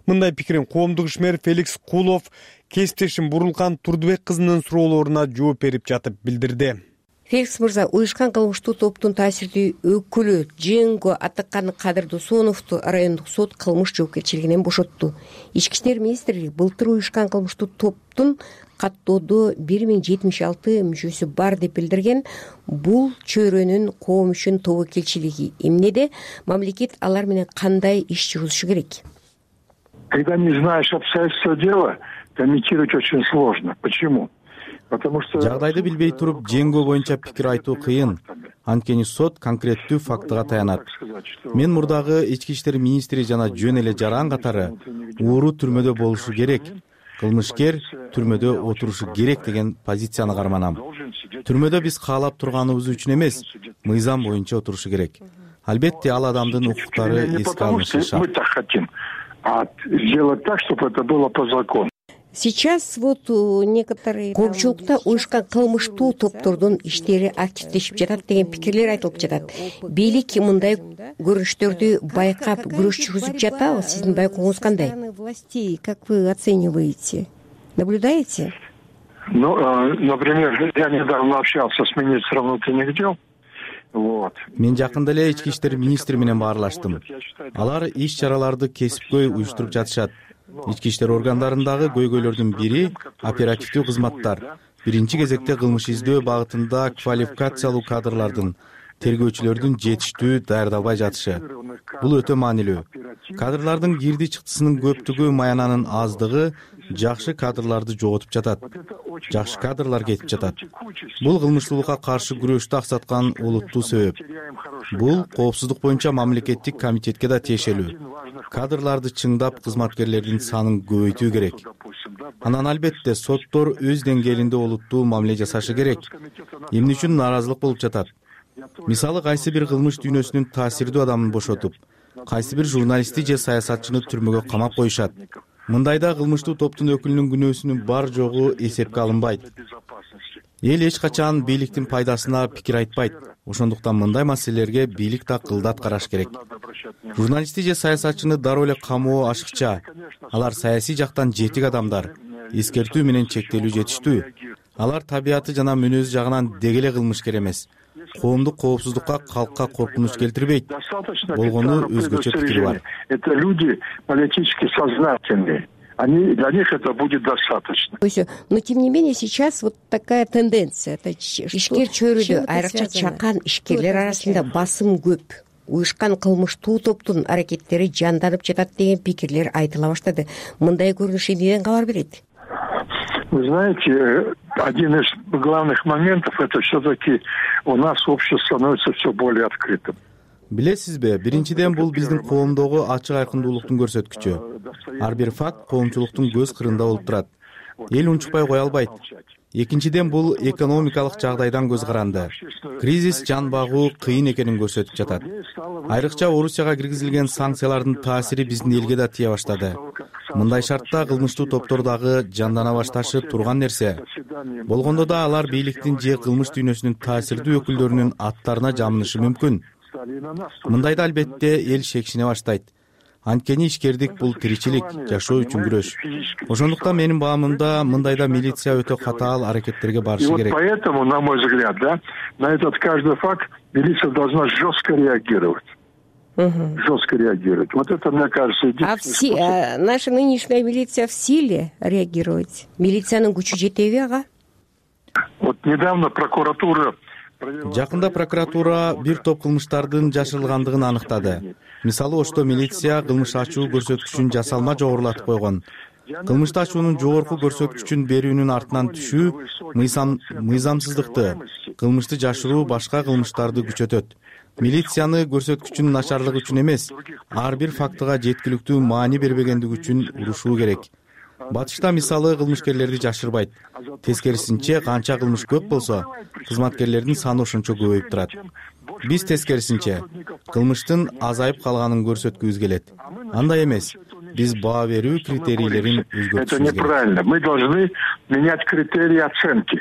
Мындай пикирин коомдук ишмер Феликс Кулов кесиптешим Бурулкан Турдубек кызынын суроолоруна жооп берип жатып билдирди. Феликс мырза, уюшкан кылмыштуу топтун таасирдүү өкүлү Дженго Атыккан Кадыр Досоновду райондук сот кылмыш жоопкерчилигинен бошотту. Ички иштер министрлиги былтыр уюшкан кылмыштуу топтун каттоодо бир миң жетимиш алты мүчөсү бар деп билдирген. Бул чөйрөнүн коом үчүн тобокелчилиги эмнеде? Мамлекет алар менен кандай иш жүргүзүшү керек? Когда не знаешь обстоятельства дела, комментировать очень сложно. Почему? Жагдайды билбей туруп Дженго боюнча пикир айтуу кыйын. Анткени сот конкреттүү фактыга таянат. Мен мурдагы ички иштер министри жана жөн эле жаран катары ууру түрмөдө болушу керек, кылмышкер түрмөдө отурушу керек деген позицияны карманам. Түрмөдө биз каалап турганыбыз үчүн эмес, мыйзам боюнча отурушу керек. Албетте ал адамдын укуктары эске алынышы шарт. Сделать так, чтобы это было по закону. Сейчас вот некоторые коомчулукта уюшкан кылмыштуу топтордун иштери активдешип жатат деген пикирлер айтылып жатат. Бийлик мындай көрүнүштөрдү байкап күрөш жүргүзүп жатабы? Сиздин байкооңуз кандай? Властей, как вы оцениваете? Наблюдаете? Ну, например, я недавно общался с министром внутренних дел. Вот. Мен жакында эле ички иштер министри менен баарлаштым. Алар иш чараларды кесипкөй уюштуруп жатышат. Ички иштер органдарындагы көйгөйлөрдүн бири оперативдүү кызматтар. Биринчи кезекте кылмыш издөө багытында квалификациялуу кадрлардын, тергөөчүлөрдүн жетиштүү даярдалбай жатышы. Бул өтө маанилүү. Кадрлардын кирди чыктысынын көптүгү, маянанын аздыгы жакшы кадрларды жоготуп жатат. Жакшы кадрлар кетип жатат. Бул кылмыштуулукка каршы күрөштү аксаткан олуттуу себеп. Бул коопсуздук боюнча мамлекеттик комитетке да тиешелүү. Кадрларды чыңдап, кызматкерлердин санын көбөйтүү керек. Анан албетте соттор өз деңгээлинде олуттуу мамиле жасашы керек. Эмне үчүн нааразылык болуп жатат? Мисалы, кайсы бир кылмыш дүйнөсүнүн таасирдүү адамын бошотуп, кайсы бир журналистти же саясатчыны түрмөгө камап коюшат. Мындайда кылмыштуу топтун өкүлүнүн күнөөсүнүн бар жогу эсепке алынбайт. Эл эч качан бийликтин пайдасына пикир айтпайт. Ошондуктан мындай маселелерге бийлик да кылдат караш керек. Журналистти же саясатчыны дароо эле камоо ашыкча. Алар саясий жактан жетик адамдар, эскертүү менен чектелүү жетиштүү. Алар табияты жана мүнөзү жагынан деги эле кылмышкер эмес. Коомдук коопсуздукка, калкка коркунуч келтирбейт. Болгону өзгөчө пикири бар. Это люди политически сознательные. Они, для них это будет достаточно. Но тем не менее сейчас вот такая тенденция. Это ишкер чөйрөдө айрыкча чакан ишкерлер арасында басым көп. Уюшкан кылмыштуу топтун аракеттери жанданып жатат деген пикирлер айтыла баштады. Мындай көрүнүш эмнеден кабар берет? Вы знаете, один из главных моментов — это все-таки у нас общество становится все более открытым. Билесизби, биринчиден бул биздин коомдогу ачык айкындуулуктун көрсөткүчү. Ар бир факт коомчулуктун көз кырында болуп турат. Эл унчукпай кое албайт. Экинчиден бул экономикалык жагдайдан көз каранды. Кризис жан багуу кыйын экенин көрсөтүп жатат. Айрыкча Орусияга киргизилген санкциялардын таасири биздин элге да тие баштады. Мындай шартта кылмыштуу топтор дагы жандана башташы турган нерсе. Болгондо да алар бийликтин же кылмыш дүйнөсүнүн таасирдүү өкүлдөрүнүн аттарына жамынышы мүмкүн. Мындайда албетте эл шекшине баштайт. Анткени ишкердик бул тиричилик, жашоо үчүн күрөш. Ошондуктан менин баамымда мындайда милиция өтө катаал аракеттерге барышы керек. И вот поэтому, на мой взгляд, да, на этот каждый факт милиция должна жестко реагировать. Угу. Жестко реагировать. Вот это, мне кажется, единственный а все, способ. А наша нынешняя милиция в силе реагировать? Милициянын күчү жетеби ага? Вот недавно прокуратура Жакында прокуратура бир топ кылмыштардын жашырылгандыгын аныктады. Мисалы, Ошто милиция кылмыш ачуу көрсөткүчүн жасалма жогорулатып койгон. Кылмышты ачуунун жогорку көрсөткүчүн берүүнүн артынан түшүү мыйзам мыйзамсыздыкты, кылмышты жашыруу башка кылмыштарды күчөтөт. Милицияны көрсөткүчүнүн начарлыгы үчүн эмес, ар бир фактыга жеткиликтүү маани бербегендиги үчүн урушуу керек. Батышта мисалы кылмышкерлерди жашырбайт. Тескерисинче, канча кылмыш көп болсо, кызматкерлердин саны ошончо көбөйүп турат. Биз тескерисинче, кылмыштын азайып калганын көрсөткүбүз келет. Андай эмес. Биз баа берүү критерийлерин өзгөртүшүбүз керек. Это неправильно. Мы должны менять критерии оценки.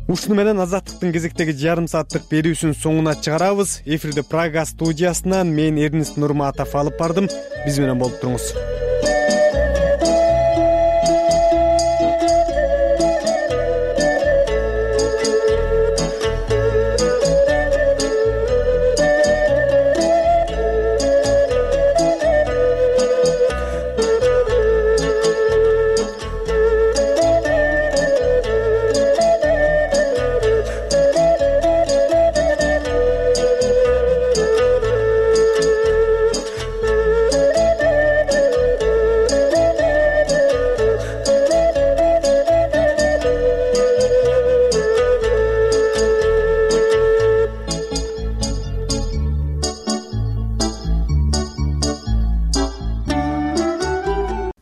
ушуну менен Азаттыктын кезектеги жарым сааттык берүүсүнүн соңуна чыгарабыз. Эфирди Прага студиясынан мен Эрнист Нурматов алып бардым. Биз менен болуп туруңуз.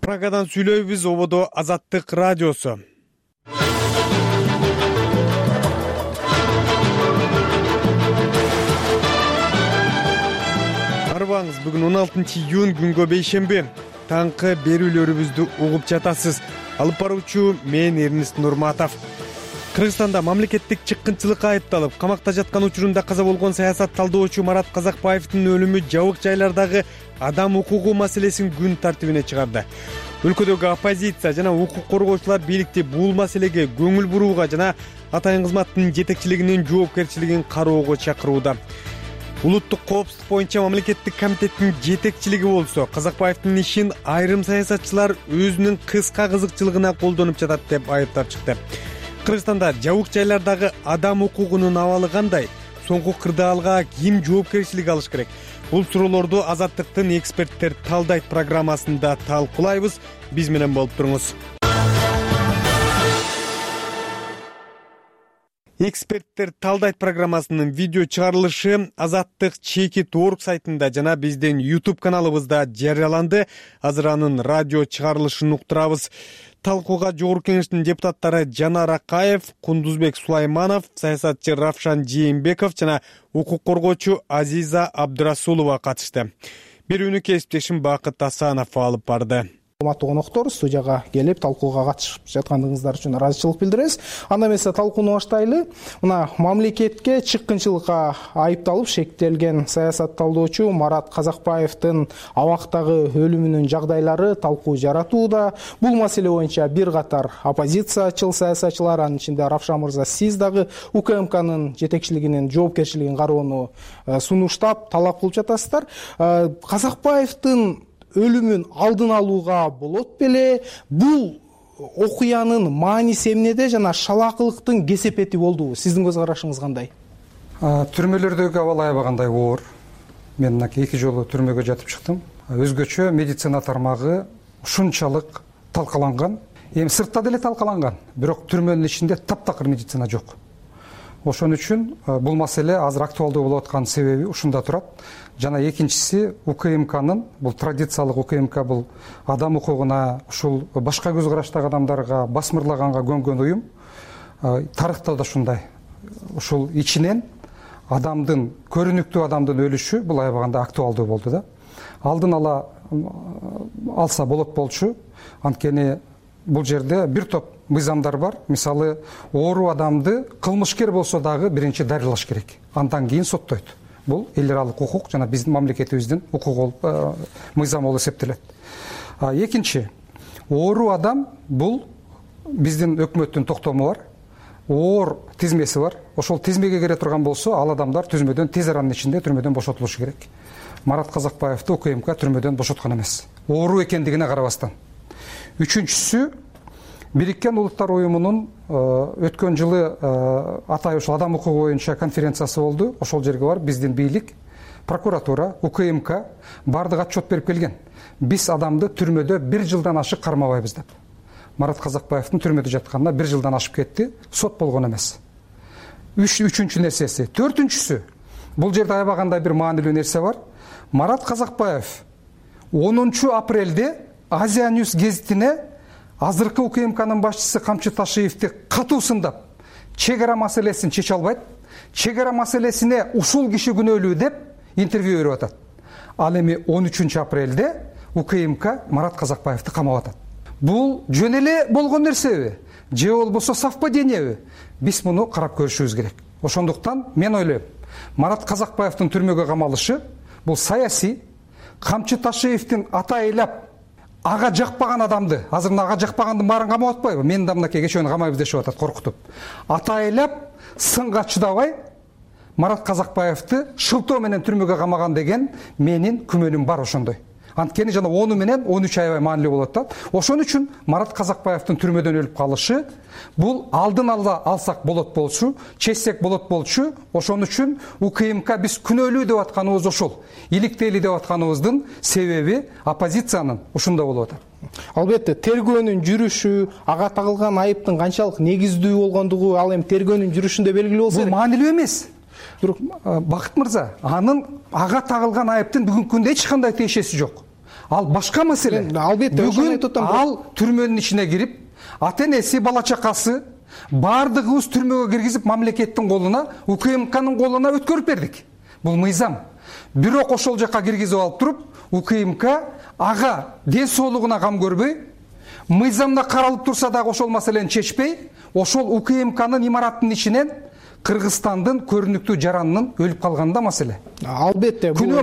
Прагадан сүйлөйбүз. Ободо Азаттык радиосу. Арбаңыз, бүгүн он алтынчы июнь, күнгө бейшемби. Таңкы берүүлөрүбүздү угуп жатасыз. Алып баруучу мен Эрнист Нурматов. Кыргызстанда мамлекеттик чыккынчылыкка айыпталып, камакта жаткан учурунда каза болгон саясат талдоочу Марат Казакбаевдин өлүмү жабык жайлардагы адам укугу маселесин күн тартибине чыгарды. Өлкөдөгү оппозиция жана укук коргоочулар бийликти бул маселеге көңүл бурууга жана атайын кызматтын жетекчилигинин жоопкерчилигин кароого чакырууда. Улуттук коопсуздук боюнча мамлекеттик комитеттин жетекчилиги болсо, Казакбаевдин ишин айрым саясатчылар өзүнүн кыска кызыкчылыгына колдонуп жатат деп айыптап чыкты. Кыргызстанда жабык жайлардагы адам укугунун абалы кандай? Соңку кырдаалга ким жоопкерчилик алыш керек? Бул суроолорду Азаттыктын эксперттер талдайт программасында талкуулайбыз. Биз менен болуп туруңуз. Эксперттер талдайт программасынын видео чыгарылышы Азаттык чекит точка орг сайтында жана биздин YouTube каналыбызда жарыяланды. Азыр анын радио чыгарылышын уктурабыз. Талкууга Жогорку Кеңештин депутаттары Жанар Акаев, Кундузбек Сулайманов, саясатчы Равшан Жээнбеков жана укук коргоочу Азиза Абдырасулова катышты. Берүүнү кесиптешим Бакыт Асанов алып барды. Урматтуу коноктор, студияга келип талкууга катышып жаткандыгыңыздар үчүн ыраазычылык билдиребиз. Анда эмесе талкууну баштайлы. Мына мамлекетке чыккынчылыкка айыпталып шектелген саясат талдоочу Марат Казакбаевдин абактагы өлүмүнүн жагдайлары талкуу жаратууда. Бул маселе боюнча бир катар оппозициячыл саясатчылар, анын ичинде Равшан мырза, сиз дагы УКМКнын жетекчилигинин жоопкерчилигин кароону сунуштап талап кылып жатасыздар. Казакбаевдин өлүмүн алдын алууга болот беле? Бул окуянын мааниси эмнеде жана шалаакылыктын кесепети болдубу? Сиздин көз карашыңыз кандай? Түрмөлөрдөгү абал аябагандай оор. Мен эки жолу түрмөгө жатып чыктым. Өзгөчө медицина тармагы ушунчалык талкаланган. Эми сыртта деле талкаланган, бирок түрмөнүн ичинде таптакыр медицина жок. Ошон үчүн бул маселе азыр актуалдуу болуп аткан себеби ушунда турат. Жана экинчиси УКМКнын, бул традициялык УКМК, бул адам укугуна, ушул башка көз караштагы адамдарга басмырлаганга көнгөн уюм. Тарыхта да ушундай. Ушул ичинен адамдын, көрүнүктүү адамдын өлүшү бул аябаганда актуалдуу болду да. Алдын ала алса болот болчу. Анткени бул жерде бир топ мыйзамдар бар. Мисалы, оору адамды кылмышкер болсо дагы биринчи дарылаш керек. Андан кийин соттойт. Бул эл аралык укук жана биздин мамлекетибиздин укук мыйзамы болуп эсептелет. Экинчи, оору адам бул биздин өкмөттүн токтому бар. Оор тизмеси бар. Ошол тизмеге кире турган болсо, ал адамдар түзмөдөн тез аранын ичинде түрмөдөн бошотулушу керек. Марат Казакбаевди УКМК түрмөдөн бошоткон эмес. Оору экендигине карабастан. Үчүнчүсү, Бириккен Улуттар уюмунун өткөн жылы атай ушул адам укугу боюнча конференциясы болду. Ошол жерге барып биздин бийлик, прокуратура, УКМК бардык отчет берип келген. Биз адамды түрмөдө бир жылдан ашык кармабайбыз деп. Марат Казакбаевдин түрмөдө жатканына бир жылдан ашып кетти, сот болгон эмес. Үчүнчү нерсеси. Төртүнчүсү, бул жерде аябагандай бир маанилүү нерсе бар. Марат Казакбаев онунчу апрелде Азия Ньюс гезитине азыркы УКМКнын башчысы Камчы Ташиевди катуу сындап, чек ара маселесин чече албайт, чек ара маселесине ушул киши күнөөлүү деп интервью берип атат. Ал эми он үчүнчү апрелде УКМК Марат Казакбаевди камап атат. бул жөн эле болгон нерсеби же болбосо совпадениеби, биз муну карап көрүшүбүз керек. Ошондуктан мен ойлойм, Марат Казакбаевдин түрмөгө камалышы бул саясий, Камчы Ташиевдин ата айлап ага жакпаган адамды, азыр мына ага жакпагандын баарын камап атпайбы? Мен да мынакей кечөө камайбыз дешип атат коркутуп. Ата айлап сынга чыдабай Марат Казакбаевди шылтоо менен түрмөгө камаган деген менин күмөнүм бар ошондой. Анткени жана onu менен он үч аябай маанилүү болот да. Ошон үчүн Марат Казакбаевдин түрмөдөн өлүп калышы бул алдын ала алсак болот болчу, чечсек болот болчу. Ошон үчүн УКМК биз күнөөлүү деп атканыбыз ошол. Иликтейли деп атканыбыздын себеби оппозициянын ушунда болуп атат. Албетте, тергөөнүн жүрүшү, ага тагылган айыптын канчалык негиздүү болгондугу ал эми тергөөнүн жүрүшүндө белгилүү болсо керек. Бул маанилүү эмес. Бирок Бакыт мырза, анын ага тагылган айыптын бүгүнкү күндө эч кандай тиешеси жок. Ал башка маселе. Албетте, бүгүн ал түрмөнүн ичине кирип, ата энеси, бала чакасы баардыгыбыз түрмөгө киргизип мамлекеттин колуна, УКМКнын колуна өткөрүп бердик. Бул мыйзам. Бирок ошол жака киргизип алып туруп, УКМК ага ден соолугуна кам көрбөй, мыйзамда каралып турса дагы ошол маселени чечпей, ошол УКМКнын имараттын ичинен Кыргызстандын көрүнүктүү жаранынын өлүп калганында маселе. Албетте, бул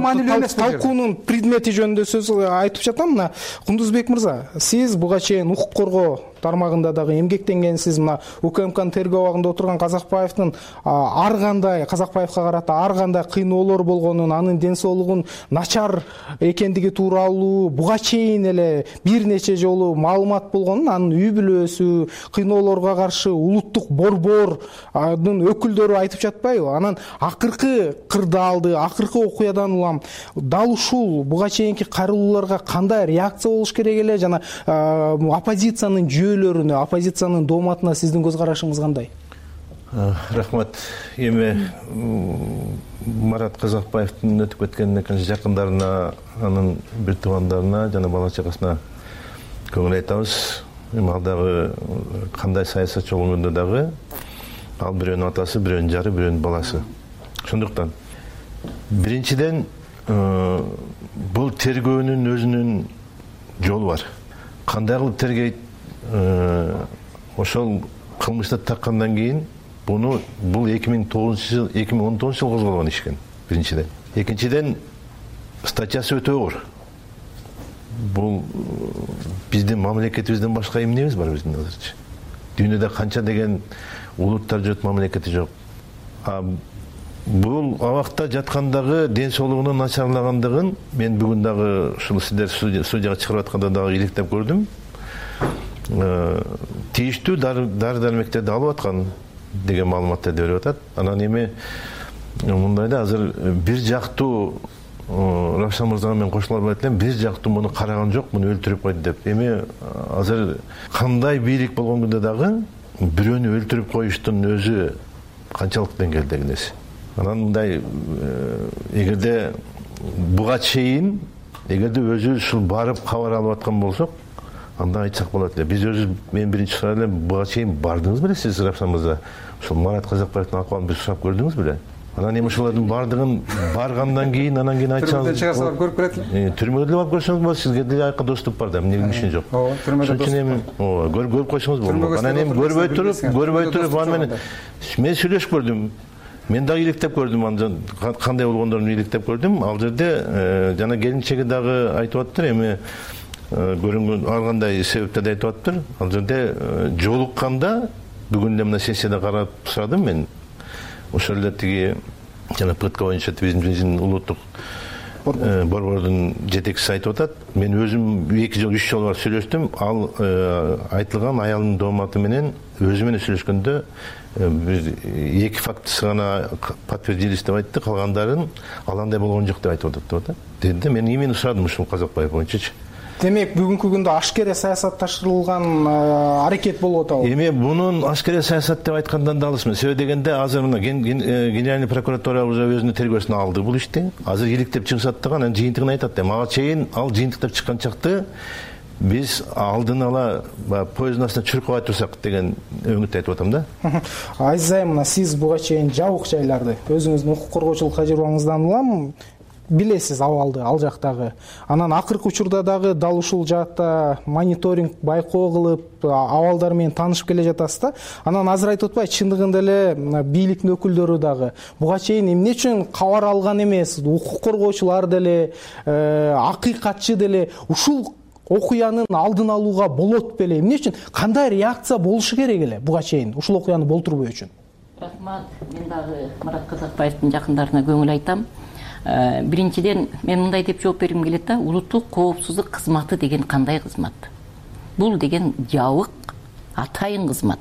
талкуунун предмети жөнүндө сөз айтып жатам. Мына Кундузбек мырза, сиз буга чейин укук коргоо тармагында дагы эмгектенгенсиз. Мына УКМКнын тергөө абагында отурган Казакбаевдин ар кандай Казакбаевга карата ар кандай кыйноолор болгонун, анын ден соолугун начар экендиги тууралуу буга чейин эле бир нече жолу маалымат болгонун, анын үй бүлөсү, кыйноолорго каршы улуттук борбордун өкүлдөрү айтып жатпайбы? Анан акыркы кырдаалды, акыркы окуядан улам дал ушул буга чейинки кайрылууларга кандай реакция болуш керек эле жана оппозициянын жүйөлөрүнө, оппозициянын дооматына сиздин көз карашыңыз кандай? Рахмат. Эми Марат Казакбаевдин өтүп кеткенине канча жакындарына, анын бир туугандарына жана бала чакасына көңүл айтабыз. Эми ал дагы кандай саясатчы болгондо дагы ал бирөөнүн атасы, бирөөнүн жары, бирөөнүн баласы. Ошондуктан биринчиден бул тергөөнүн өзүнүн жолу бар. Кандай кылып тергейт? Ошол кылмышты таккандан кийин буну бул эки миң тогузунчу жыл, эки миң он тогузунчу жылы козголгон иш экен. Биринчиден. Экинчиден статьясы өтө оор. Бул биздин мамлекетибизден башка эмнебиз бар биздин азырчы? Дүйнөдө канча деген улуттар жүрөт, мамлекети жок. Бул абакта жаткандагы ден соолугунун начарлагандыгын мен бүгүн дагы ушул сиздер судьяга чыгарып атканда дагы иликтеп көрдүм. Тийиштүү дары дармектерди алып аткан деген маалыматтарды берип атат. Анан эми мындай да азыр бир жактуу Равшан мырзага мен кошулар айтып элем, бир жактуу муну караган жок, муну өлтүрүп койду деп. Эми азыр кандай бийлик болгон күндө дагы бирөөнү өлтүрүп коюштун өзү канчалык деңгээлдеги нерсе. Анан мындай эгерде буга чейин эгерде өзүбүз ушул барып кабар алып аткан болсок, анда айтсак болот эле. Биз өзүбүз мен биринчи сурар элем, буга чейин бардыңыз беле сиз Равшан мырза? Ушул Марат Казакбаевдин акыбалын бир сурап көрдүңүз беле? Анан эми ошолордун бардыгын баргандан кийин, анан кийин айтсаңыз, түрмөдөн чыгарса көрүп келет эле. Түрмөгө деле барып көрсөңүз болот, сизге деле айыкка доступ бар да, эмне ишин жок. Ооба, түрмөдө доступ. Эми ооба, көрүп койсоңуз болот. Анан эми көрбөй туруп, көрбөй туруп аны менен мен сүйлөшүп көрдүм. Мен дагы иликтеп көрдүм, андан кандай болгондорун иликтеп көрдүм. Ал жерде жана келинчеги дагы айтып аттыр, эми көрүнгөн ар кандай себептерди айтып аттыр. Ал жерде жолукканда бүгүн эле мына сессияда карап сурадым мен. Ошол эле тиги жана ПТК боюнча биздин улуттук борбордун жетекчиси айтып атат. Мен өзүм эки жол, үч жол бар сүйлөштүм. Ал айтылган аялынын дооматы менен өзү менен сүйлөшкөндө биз эки фактысы гана подтвердились деп айтты, калгандарын ал андай болгон жок деп айтып атат деп атат. Деди, мен именно сурадым ушул Казакбаев боюнчачы. Демек, бүгүнкү күндө ашкере саясатташтырылган аракет болуп атабы? Эми бунун ашкере саясат деп айткандан да алысмын. Себеби дегенде азыр мына Генеральный прокуратура уже өзүнүн тергөөсүнө алды бул ишти. Азыр иликтеп чыгышат дагы, анан жыйынтыгын айтат. Мага чейин ал жыйынтыктап чыккан чакты биз алдын ала поезддун астына чүрүп кой турсак деген өңүттү айтып атам да. Азиз айым, мына сиз буга чейин жабык жайларды өзүңүздүн укук коргоочулук тажрыйбаңыздан улам билесиз абалды ал жактагы. Анан акыркы учурда дагы дал ушул жаатта мониторинг байкоо кылып абалдар менен таанышып келе жатасыз да. Анан азыр айтып атпайбы, чындыгында эле бийликтин өкүлдөрү дагы буга чейин эмне үчүн кабар алган эмес, укук коргоочулар деле, акыйкатчы деле ушул окуянын алдын алууга болот беле? Эмне үчүн, кандай реакция болушу керек эле буга чейин ушул окуяны болтурбоо үчүн? Рахмат. Мен дагы Марат Казакбаевдин жакындарына көңүл айтам. Биринчиден мен мындай деп жооп бергим келет да, улуттук коопсуздук кызматы деген кандай кызмат? Бул деген жабык, атайын кызмат.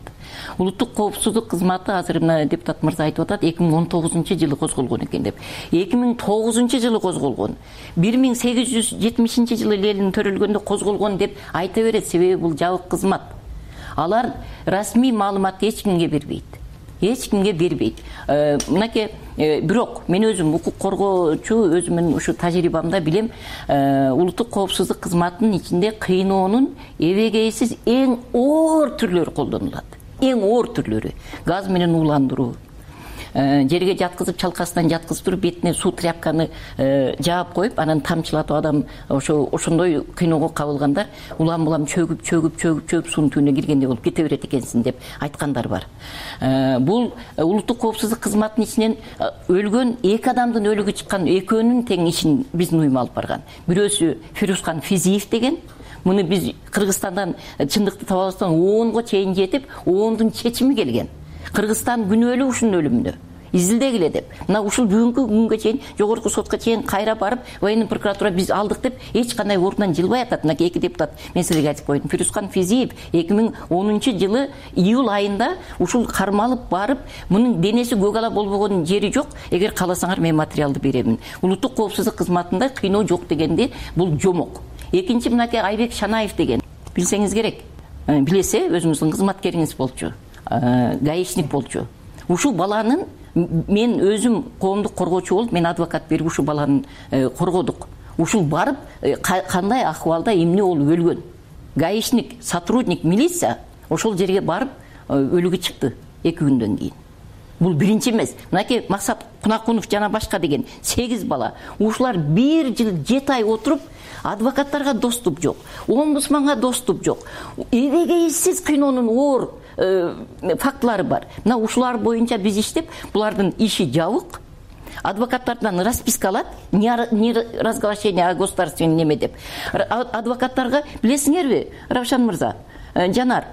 Улуттук коопсуздук кызматы азыр мына депутат мырза айтып атат, эки миң он тогузунчу жылы козголгон экен деп. эки миң тогузунчу жылы козголгон. бир миң сегиз жүз жетимишинчи жылы Ленин төрөлгөндө козголгон деп айта берет, себеби бул жабык кызмат. Алар расмий маалыматты эч кимге бербейт. Эч кимге бербейт. Мынакей, бирок мен өзүм укук коргоочу, өзүмдүн ушу тажрыйбамда билем, улуттук коопсуздук кызматынын ичинде кыйноонун эбегейсиз эң оор түрлөрү колдонулат. Эң оор түрлөрү. Газ менен ууландыруу, жерге жаткызып, чалкасынан жаткызып туруп, бетине суу тряпканы жаап коюп, анан тамчылатып, адам ошо ошондой кыйноого кабылгандар улам-улам чөгүп, чөгүп, чөгүп, чөгүп суунун түбүнө киргендей болуп кете берет экенсиң деп айткандар бар. Бул улуттук коопсуздук кызматынын ичинен өлгөн эки адамдын өлүгү чыккан, экөөнүн тең ишин биздин уюм алып барган. Бирөөсү Фирускан Физиев деген. Муну биз Кыргызстандан чындыкты таба албастан онго чейин жетип, ондун чечими келген. Кыргызстан күнөөлүү ушунун өлүмүнө. Изилдегиле деп. Мына ушул бүгүнкү күнгө чейин жогорку сотко чейин кайра барып, военный прокуратура биз алдык деп эч кандай ордунан жылбай атат. Мына эки депутат мен силерге айтып койдум. Фирускан Физиев эки миң онунчу жылы июль айында ушул кармалып барып, мунун денеси көк ала болбогон жери жок. Эгер кааласаңар мен материалды беремин. Улуттук коопсуздук кызматында кыйноо жок дегенде бул жомок. Экинчи мынакей Айбек Шанаев деген. Билсеңиз керек. Билесе, өзүңүздүн кызматкериңиз болчу. Гаишник болчу. Ушул баланын мен өзүм коомдук коргоочу болуп, мен адвокат берип ушул баланы коргодук. Ушул барып кандай акыбалда эмне болуп өлгөн. Гаишник, сотрудник, милиция ошол жерге барып өлүгү чыкты эки күндөн кийин. Бул биринчи эмес. Мынакей Максат Кунакунов жана башка деген сегиз бала. Ушулар бир жыл жети ай отуруп, адвокаттарга доступ жок, омбудсманга доступ жок. Эбегейсиз кыйноонун оор фактылары бар. Мына ушулар боюнча биз иштеп, булардын иши жабык. Адвокаттардан расписка алат, не разглашение о государственном неме деп. Адвокаттарга билесиңерби, Равшан мырза, Жанар,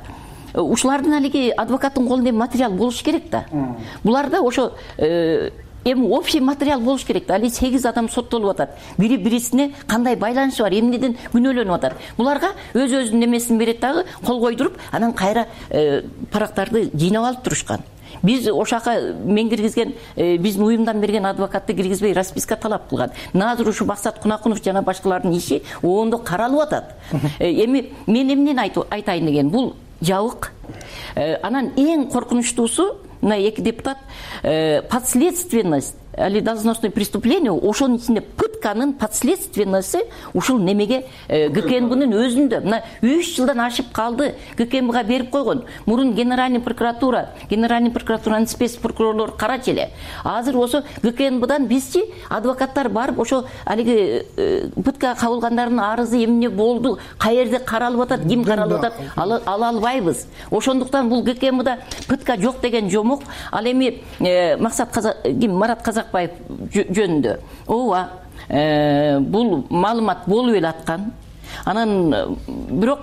ушулардын алиги адвокаттын колунда материал болуш керек да. Буларда ошо эми общий материал болуш керек да. Али сегиз адам соттолуп атат. Бири бирисине кандай байланышы бар, эмнеден күнөөлөнүп атат. Буларга өз-өзүнүн немесин берет дагы, кол койдуруп, анан кайра парактарды жыйнап алып турушкан. Биз ошака мен киргизген, биздин уюмдан берген адвокатты киргизбей расписка талап кылган. Азыр ушу Максат Кунакунов жана башкалардын иши оондо каралып атат. Эми мен эмнени айтайын деген, бул жабык. Анан эң коркунучтуусу, мына эки депутат, подследственность или должностное преступление, ошонун ичинде пытканын подследственности ушул немеге ГКНБнын өзүндө. Мына үч жылдан ашып калды, ГКНБга берип койгон. Мурун генеральный прокуратура, генеральный прокуратуранын спец прокурорлору карачу эле. Азыр ошо ГКНБдан бизчи адвокаттар барып, ошо алиги пытка кабылгандардын арызы эмне болду, каерде каралып атат, ким каралып атат, ала албайбыз. Ошондуктан бул ГКНБда пытка жок деген жомок. Ал эми Максат Марат Казакбаев жөнүндө. Ооба, бул маалымат болуп эле аткан. Анан бирок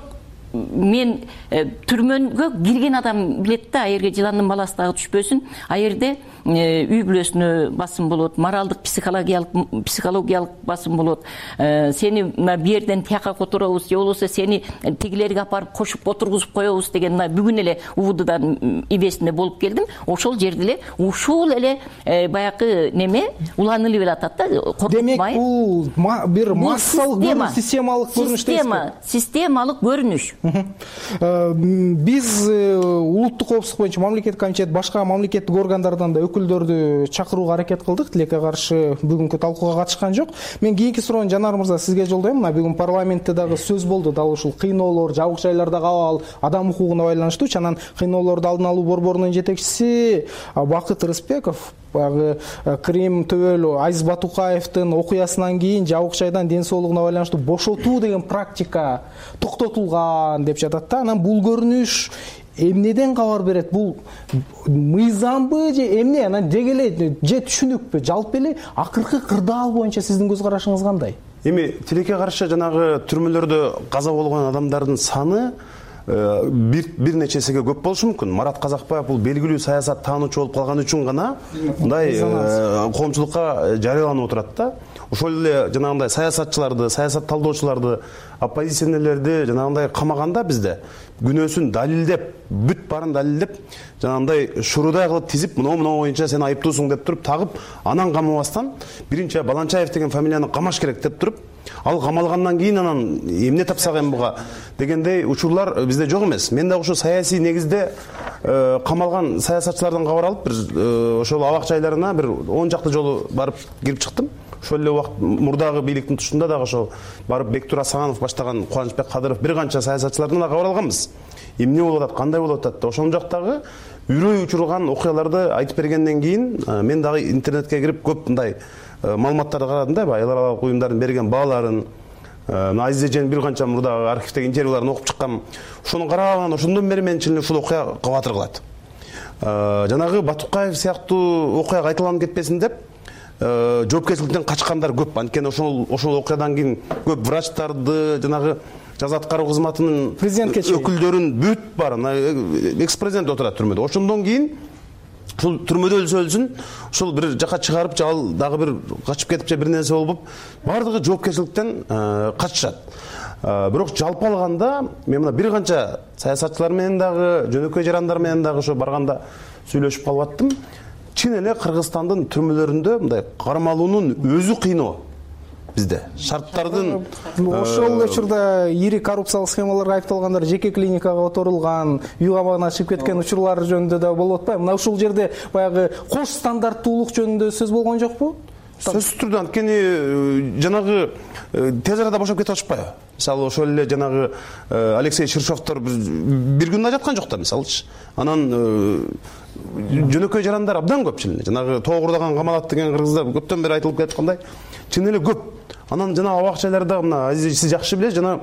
мен түрмөгө кирген адам билет да, аерге жыландын баласы дагы түшпөсүн. Аерде үй бүлөсүнө басым болот, моралдык, психологиялык психологиялык басым болот. Сени мына бу жерден тияка которобуз, же болбосо сени тигилерге апарып кошуп отургузуп коебуз деген мына бүгүн эле УВДдан ибесинде болуп келдим. Ошол жерде эле ушул эле баягы неме уланылып эле атат да, коркутмай. Демек бул бир массалык көрүнүш, системалык көрүнүш дейсизби? Системалык көрүнүш. Биз улуттук коопсуздук боюнча мамлекеттик комитет, башка мамлекеттик органдардан да өкүлдөрдү чакырууга аракет кылдык. Тилекке каршы бүгүнкү талкууга катышкан жок. Мен кийинки суроону Жанар мырза сизге жолдойм. Мына бүгүн парламентте дагы сөз болду, дал ушул кыйноолор, жабык жайлардагы абал, адам укугуна байланыштуу. Анан кыйноолорду алдын алуу борборунун жетекчиси Бакыт Рыспеков баягы Крим төбөлү Азиз Батукаевдин окуясынан кийин жабык жайдан ден соолугуна байланыштуу бошотуу деген практика токтотулган деп жатат да. Анан бул көрүнүш эмнеден кабар берет? Бул мыйзамбы же эмне? Анан деги эле же түшүнүкпү? Жалпы эле акыркы кырдаал боюнча сиздин көз карашыңыз кандай? Эми тилекке каршы жанагы түрмөлөрдө каза болгон адамдардын саны бир бир нечесиге көп болушу мүмкүн. Марат Казакбаев бул белгилүү саясат таануучу болуп калган үчүн гана мындай коомчулукка жарыяланып отурат да. Ошол эле жанагындай саясатчыларды, саясат талдоочуларды, оппозиционерлерди жанагындай камаганда бизде күнөөсүн далилдеп, бүт баарын далилдеп, жанагындай шурудай кылып тизип, мына мына боюнча сен айыптуусуң деп туруп тагып, анан камабастан биринчи Баланчаев деген фамилияны камаш керек деп туруп, ал камалгандан кийин анан эмне тапсак эми буга дегендей учурлар бизде жок эмес. Мен да ошо саясий негизде камалган саясатчылардан кабар алып, бир ошол абак жайларына бир он жакты жолу барып кирип чыктым. Ошол эле убакыт мурдагы бийликтин тушунда дагы ошол барып Бектур Асанов баштаган Кубанычбек Кадыров бир канча саясатчылардан да кабар алганбыз. Эмне болуп атат, кандай болуп атат деп. Ошол жактагы үрөй учурган окуяларды айтып бергенден кийин мен дагы интернетке кирип көп мындай маалыматтарды карадым да, эл аралык уюмдардын берген бааларын, Азиз Эженин бир канча мурдагы архивдеги интервьюларын окуп чыккам. Ошону караган, ошондон бери мен чын эле ушул окуя кабатыр кылат. Жанагы Батукаев сыяктуу окуя кайталанып кетпесин деп жоопкерчиликтен качкандар көп. Анткени ошол ошол окуядан кийин көп врачтарды, жанагы жаза аткаруу кызматынын өкүлдөрүн бүт баарын экс-президент отурат түрмөдө. Ошондон кийин ушул түрмөдө өлсө өлсүн, ушул бир жака чыгарып, же ал дагы бир качып кетип же бир нерсе болуп, бардыгы жоопкерчиликтен качышат. Бирок жалпы алганда мен мына бир канча саясатчылар менен дагы, жөнөкөй жарандар менен дагы ошо барганда сүйлөшүп калып аттым. Чын эле Кыргызстандын түрмөлөрүндө мындай кармалуунун өзү кыйноо бизде. Шарттардын ошол учурда ири коррупциялык схемаларга айыпталгандар жеке клиникага которулган, үй камагына чыгып кеткен учурлар жөнүндө да болуп атпайбы? Мына ушул жерде баягы кош стандарттуулук жөнүндө сөз болгон жокпу? Сөзсүз түрдө, анткени жанагы тез арада бошоп кетип атышпайбы? Мисалы ошол эле жанагы Алексей Ширшовдор бир күн жаткан жок да, мисалычы. Анан жөнөкөй жарандар абдан көп чын эле. Жанагы тоогурдаган камалат деген кыргыздар көптөн бери айтылып кеткандай, чын эле көп. Анан жана абак жайларда мына Азиз сиз жакшы билесиз, жана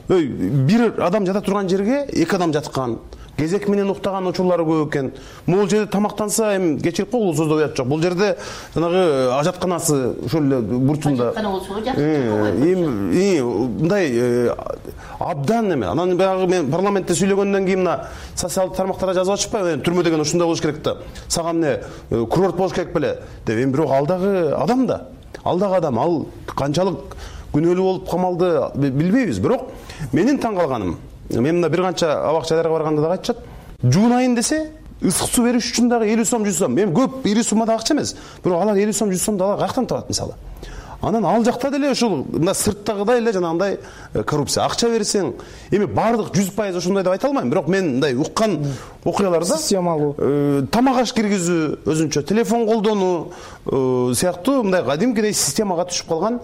бир адам жата турган жерге эки адам жаткан, кезек менен уктаган учурлары көп экен. Могул жерде тамактанса, эми кечирип кой, улуусузда уят жок. Бул жерде жанагы ажатканасы ошол эле бурчунда. Ажаткана болсо жакшы. Эми мындай абдан эме. Анан баягы мен парламентте сүйлөгөндөн кийин мына социалдык тармактарда жазып атышпайбы? Түрмө деген ушундай болуш керек да. Сага эмне курорт болуш керек беле деп. Эми бирок ал дагы адам да. Ал дагы адам. Ал канчалык күнөөлүү болуп камалды билбейбиз. Бирок менин таң калганым, мен мына бир канча абак жайларга барганда дагы айтышат, жуунайын десе ысык суу бериш үчүн дагы элүү сом жүз сом. Эми көп ири суммада акча эмес. Бирок алар элүү сом жүз сомду алар каяктан табат мисалы? Анан ал жакта деле ушул мына сырттагыдай эле жанагындай коррупция. Акча берсең, эми бардык жүз пайыз ошондой деп айта алмайм. Бирок мен мындай уккан окуяларда системалуу тамак аш киргизүү, өзүнчө телефон колдонуу сыяктуу мындай кадимкидей системага түшүп калган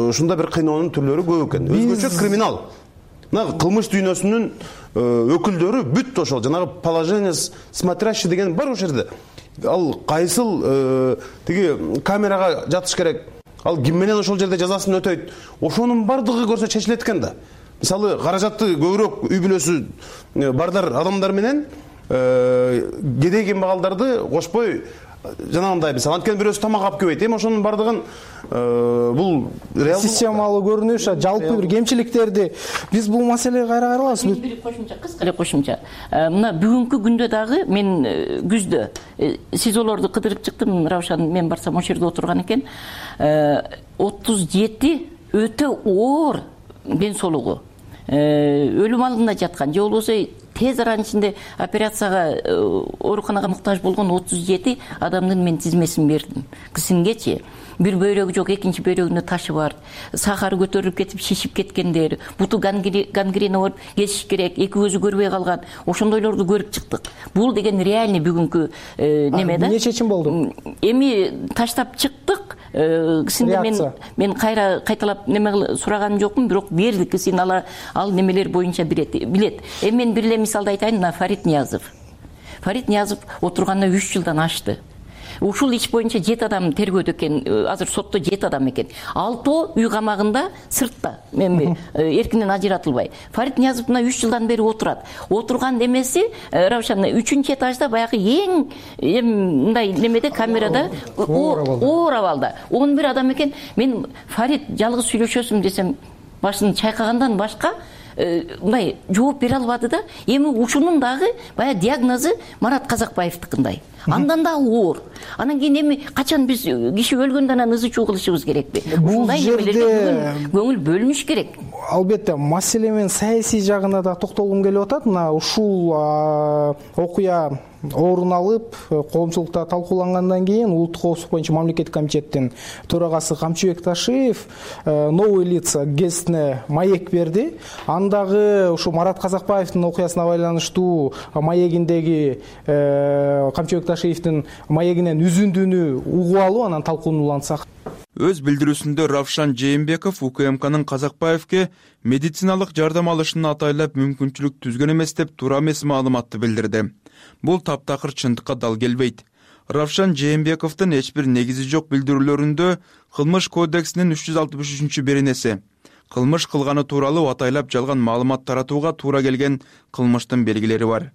ушундай бир кыйноонун түрлөрү көп экен. Өзгөчө криминал. Мына кылмыш дүйнөсүнүн өкүлдөрү бүт ошол жанагы положение смотрящий деген бар ошол жерде. Ал кайсыл тиги камерага жатыш керек, ал ким менен ошол жерде жазасын өтөйт, ошонун бардыгы көрсө чечилет экен да. Мисалы каражатты көбүрөөк үй бүлөсү бардар адамдар менен кедей кембагалдарды кошпой жанагындай мисалы анткени бирөөсү тамак алып келбейт. Эми ошонун бардыгын бул реалдуу системалуу көрүнүш, жалпы бир кемчиликтерди биз бул маселеге кайра каралабыз. Бир кошумча, кыска эле кошумча. Мына бүгүнкү күндө дагы мен күздө сизолорду кыдырып чыктым. Равшан мен барсам ошол жерде отурган экен. отуз жети өтө оор ден соолугу өлүм алдында жаткан, же болбосо тез аранын ичинде операцияга ооруканага муктаж болгон отуз жети адамдын мен тизмесин бердим. Кысингечи бир бөйрөгү жок, экинчи бөйрөгүндө ташы бар, сахары көтөрүлүп кетип шишип кеткендер, буту гангрена болуп кесиш керек, эки көзү көрбөй калган, ошондойлорду көрүп чыктык. Бул деген реальный бүгүнкү неме да. Эмне чечим болду? Эми таштап чыктык. Кисинде мен мен кайра кайталап неме сураганым жокмун, бирок бердик. Кисин ала ал немелер боюнча билет. Эми мен бир эле мисалды айтайын, мына Фарид Ниязов. Фарид Ниязов отурганына үч жылдан ашты. ушул иш боюнча жети адам тергөөдө экен, азыр сотто жети адам экен. Алтоо үй камагында сыртта, эми эркинен ажыратылбай. Фарид Ниязов мына үч жылдан бери отурат. Отурган немеси Равшан үчүнчү этажда баягы эң мындай немеде камерада оор абалда он бир адам экен. Мен Фарид жалгыз сүйлөшөсүм десем башын чайкагандан башка мындай жооп бере албады да. Эми ушунун дагы баягы диагнозу Марат Казакбаевдикиндай. Андан да оор. Анан кийин эми качан биз киши өлгөндөн анан ызы чуу кылышыбыз керекпи? Ушундай немелерге көңүл бөлүнүш керек. Албетте, маселемен саясий жагына да токтолгум келип атат. Мына ушул окуя орун алып, коомчулукта талкуулангандан кийин улуттук коопсуздук боюнча мамлекеттик комитеттин төрагасы Камчыбек Ташиев новые лица гезитине маек берди. Андагы ушу Марат Казакбаевдин окуясына байланыштуу маегиндеги Камчыбек Ташиевдин маегинен үзүндүүнү угуп алуу, анан талкуулансак. Өз билдирүүсүндө Равшан Жээнбеков УКМКнын Казакбаевке медициналык жардам алышын атайлап мүмкүнчүлүк түзгөн эмес деп туура эмес маалыматты билдирди. Бул таптакыр чындыкка дал келбейт. Равшан Жээнбековдун эч бир негизи жок билдирүүлөрүндө Кылмыш кодексинин үч жүз алтымыш үчүнчү беренеси кылмыш кылганы тууралуу атайлап жалган маалымат таратууга туура келген кылмыштын белгилери бар.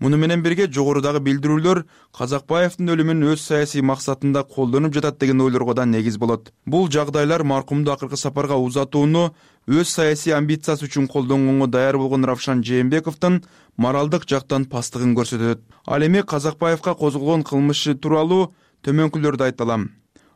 Муну менен бирге жогорудагы билдирүүлөр Казакбаевдин өлүмүн өз саясий максатында колдонуп жатат деген ойлорго да негиз болот. Бул жагдайлар маркумду акыркы сапарга узатууну өз саясий амбициясы үчүн колдонгонго даяр болгон Равшан Жээнбековдун моралдык жактан пастыгын көрсөтөт. Ал эми Казакбаевга козголгон кылмышы тууралуу төмөнкүлөрдү айта алам.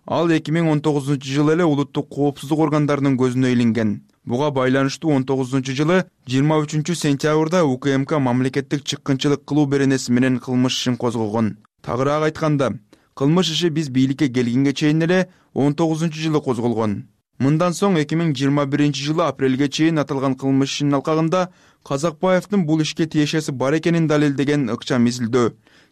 Ал эки миң он тогузунчу жылы эле улуттук коопсуздук органдарынын көзүнө илинген. Буга байланыштуу он тогузунчу жылы жыйырма үчүнчү сентябрда УКМК мамлекеттик чыккынчылык кылуу беренеси менен кылмыш ишин козгогон. Тагыраак айтканда, кылмыш иши биз бийликке келгенге чейин эле он тогузунчу жылы козголгон. Мындан соң эки миң жыйырма биринчи жылы апрелге чейин аталган кылмыш ишинин алкагында Казакбаевдин бул ишке тиешеси бар экенин далилдеген ыкчам изилдөө,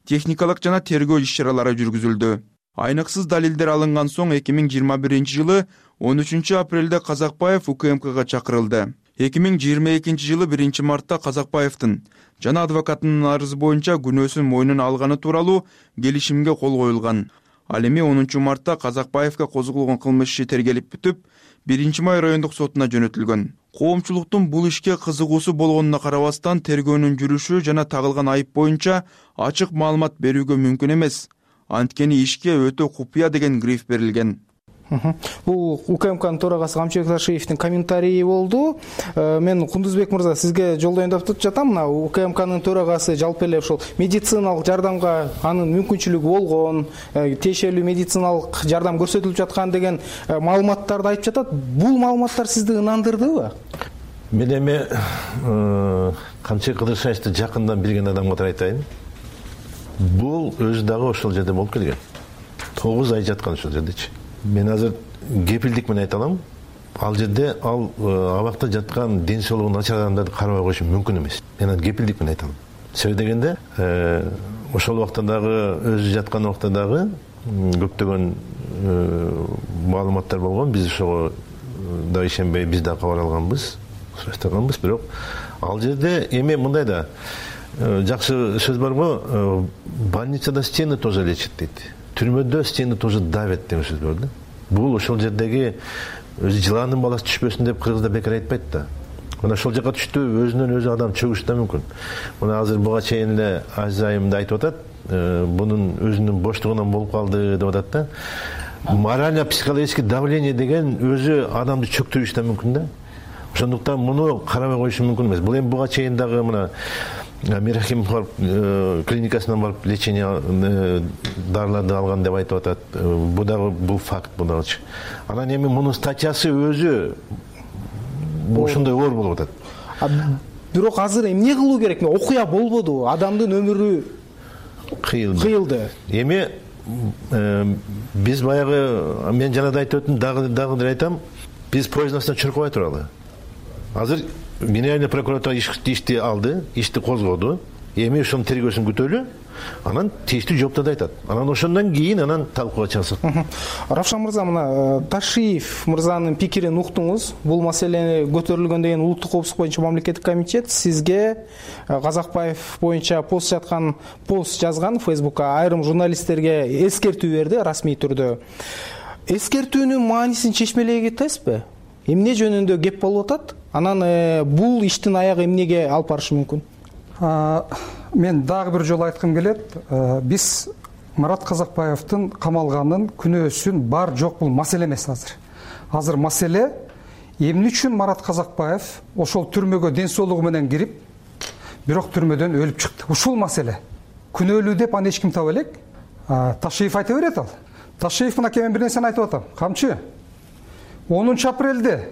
техникалык жана тергөө иш-чаралары жүргүзүлдү. Айныксыз далилдер алынган соң эки миң жыйырма биринчи жылы он үчүнчү апрелде Казакбаев УКМКга чакырылды. эки миң жыйырма экинчи жылы биринчи мартта Казакбаевдин жана адвокатынын арызы боюнча күнөөсүн мойнуна алганы тууралуу келишимге кол коюлган. Ал эми онунчу мартта Казакбаевга козголгон кылмыш иши тергелип бүтүп, биринчи май райондук сотуна жөнөтүлгөн. Коомчулуктун бул ишке кызыгуусу болгонуна карабастан тергөөнүн жүрүшү жана тагылган айып боюнча ачык маалымат берүүгө мүмкүн эмес. Анткени ишке өтө купуя деген гриф берилген. Бул УКМКнын төрагасы Камчыбек Ташиевдин комментарийи болду. Мен Кундузбек мырза сизге жолдоюн деп жатам. Мына УКМКнын төрагасы жалпы эле ушул медициналык жардамга анын мүмкүнчүлүгү болгон, тиешелүү медициналык жардам көрсөтүлүп жаткан деген маалыматтарды айтып жатат. Бул маалыматтар сизди ынандырдыбы? Мен эми Камчыбек Кыдыршаевди жакындан билген адам катары айтайын. Бул өзү дагы ошол жерде болуп келген. тогуз ай жаткан ошол жердечи. Мен азыр кепилдик менен айта алам. Ал жерде ал абакта жаткан ден соолугу начар адамдарды карабай коюшу мүмкүн эмес. Мен аны кепилдик менен айта алам. Себеби дегенде, ошол убакта дагы өзү жаткан убакта дагы көптөгөн маалыматтар болгон. Биз ошого да ишенбей биз да кабар алганбыз, сурактаганбыз, бирок ал жерде эми мындай да жакшы сөз барго, больницада стены тоже лечат дейт. Түрмөдө стены тоже давят деген сөз бар да. Бул ошол жердеги өзү жыландын баласы түшпөсүн деп кыргызда бекер айтпайт да. Мына ошол жака түштү, өзүнөн өзү адам чөгүшү да мүмкүн. Мына азыр буга чейин эле Азайымда айтып атат, бунун өзүнүн боштугунан болуп калды деп атат да. Морально психологический давление деген өзү адамды чөктүрүшү да мүмкүн да. Ошондуктан муну карабай коюшу мүмкүн эмес. Бул эми буга чейин дагы мына Мирахим клиникасынан барып лечение дарыларды алган деп айтып атат. Бул дагы бул факт бул дагычы. Анан эми мунун статьясы өзү ошондой оор болуп атат. Бирок азыр эмне кылуу керек? Окуя болбоду, адамдын өмүрү кыйылды. Кыйылды. Эми биз баягы мен жана да айтып өттүм, дагы дагы айтам. Биз поезддан чуркабай туралы. Азыр Генеральный прокуратура ишти алды, ишти козгоду. Эми ошонун тергөөсүн күтөлү. анан тийиштүү жооптарды айтат. Анан ошондон кийин анан талкууга чыгасат. Равшан мырза, мына Ташиев мырзанын пикирин уктуңуз. Бул маселе көтөрүлгөндөн кийин улуттук коопсуздук боюнча мамлекеттик комитет сизге Казакбаев боюнча пост жаткан пост жазган Фейсбукка, айрым журналисттерге эскертүү берди расмий түрдө. Эскертүүнүн маанисин чечмелей кетесизби? Эмне жөнүндө кеп болуп атат? Анан бул иштин аягы эмнеге алып барышы мүмкүн? Мен дагы бир жолу айткым келет. Биз Марат Казакбаевдин камалганын күнөөсүн бар жок бул маселе эмес азыр. Азыр маселе эмне үчүн Марат Казакбаев ошол түрмөгө ден соолугу менен кирип, бирок түрмөдөн өлүп чыкты. Ушул маселе. Күнөөлүү деп аны эч ким таба элек. Ташиев айта берет ал. Ташиев мына мен бир нерсени айтып атам. Камчы, онунчу апрелде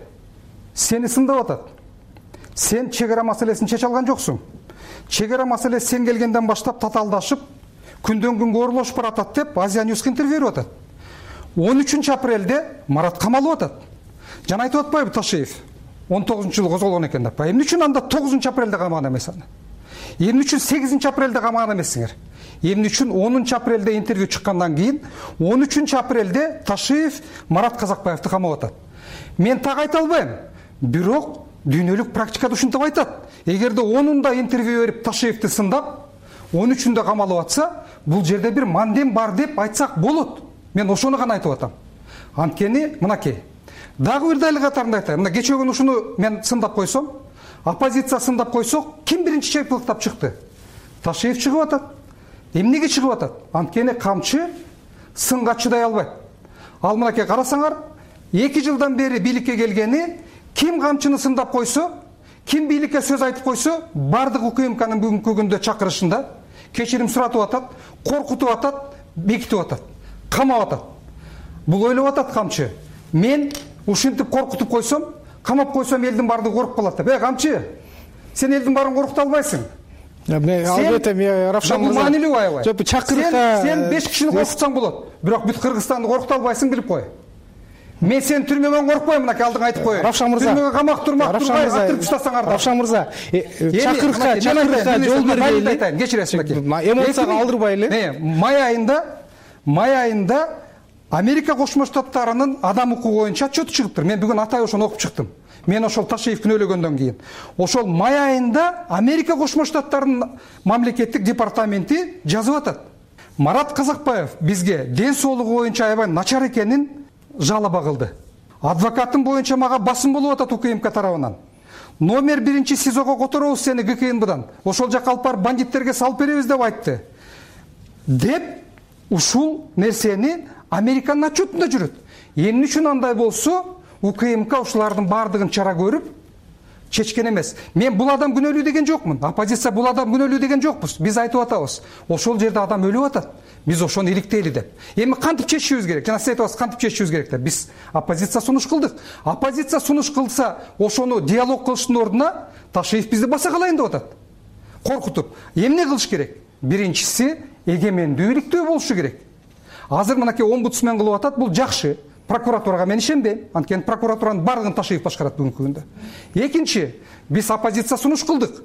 сени сындап атат. Сен чек ара маселесин чече алган жоксуң. Чек ара маселеси сен келгенден баштап татаалдашып, күндөн күнгө оорлошуп баратат деп Азия Ньюске интервью берип атат. он үчүнчү апрелде Марат камалып атат. Жана айтып атпайбы Ташиев? он тогузунчу жылы козголгон экен деп. Эмне үчүн анда тогузунчу апрелде камаган эмес аны? Эмне үчүн сегизинчи апрелде камаган эмессиңер? Эмне үчүн онунчу апрелде интервью чыккандан кийин он үчүнчү апрелде Ташиев Марат Казакбаевди камап атат? Мен так айта албайм. Бирок дүйнөлүк практикада ушинтип айтат. Эгерде онунда интервью берип Ташиевди сындап, он үчүндө камалып атса, бул жерде бир мандем бар деп айтсак болот. Мен ошону гана айтып атам. Анткени мынакей. Дагы бир дайыл катарында айтайын. Мына кечээ күнү ушуну мен сындап койсом, оппозиция сындап койсок, ким биринчи чепиликтап чыкты? Ташиев чыгып атат. Эмнеге чыгып атат? Анткени камчы сынга чыдай албайт. Ал мынакей карасаңар, эки жылдан бери бийликке келгени ким камчыны сындап койсо, ким бийликке сөз айтып койсо, бардык УКМКнын бүгүнкү күндө чакырышында кечирим суратып атат, коркутуп атат, бекитип атат, камап атат. Бул ойлоп атат камчы. Мен ушинтип коркутуп койсом, камап койсом элдин бардыгы коркуп калат деп. Э, камчы, сен элдин баарын коркута албайсың. Албетте, Равшан мырза. Бул маанилүү аябай. Жок, чакырыкка сен беш кишини коркутсаң болот, бирок бүт Кыргызстанды коркута албайсың, билип кой. Мен сен түрмөдөн коркпойм, мынакей алдыңа айтып коеюн. Равшан мырза. Түрмөгө камак турмак турбай атырып таштасаңар да. Равшан мырза, чакырыкка, чакырыкка жол бергейли. Кечиресиз мынакей. Эмоцияга алдырбайлы. Май айында, май айында Америка Кошмо Штаттарынын адам укугу боюнча отчету чыгыптыр. Мен бүгүн атай ошону окуп чыктым. Мен ошол Ташиев күнөөлөгөндөн кийин. Ошол май айында Америка Кошмо Штаттарынын мамлекеттик департаменти жазып атат. Марат Казакбаев бизге ден соолугу боюнча аябай начар экенин жалоба кылды. Адвокатым боюнча мага басым болуп атат УКМК тарабынан. Номер биринчи СИЗОго которобуз сени ГКНБдан. Ошол жака алып барып бандиттерге салып беребиз деп айтты. Деп ушул нерсени Американын отчетунда жүрөт. Эмне үчүн андай болсо, УКМК ушулардын баардыгын чара көрүп чечкен эмес. Мен бул адам күнөөлүү деген жокмун. Оппозиция бул адам күнөөлүү деген жокпуз. Биз айтып атабыз. Ошол жерде адам өлүп атат. Биз ошону иликтейли деп. Эми кантип чечишибиз керек? Жана сиз айтабыз, кантип чечишибиз керек деп. Биз оппозиция сунуш кылдык. Оппозиция сунуш кылса, ошону диалог кылыштын ордуна Ташиев бизди баса калайын деп атат. Коркутуп. Эмне кылыш керек? Биринчиси, эгемендүү иликтөө болушу керек. Азыр мынакей омбудсмен кылып атат, бул жакшы. Прокуратурага мен ишенбейм. Анткени прокуратуранын бардыгын Ташиев башкарат бүгүнкү күндө. Экинчи, биз оппозиция сунуш кылдык.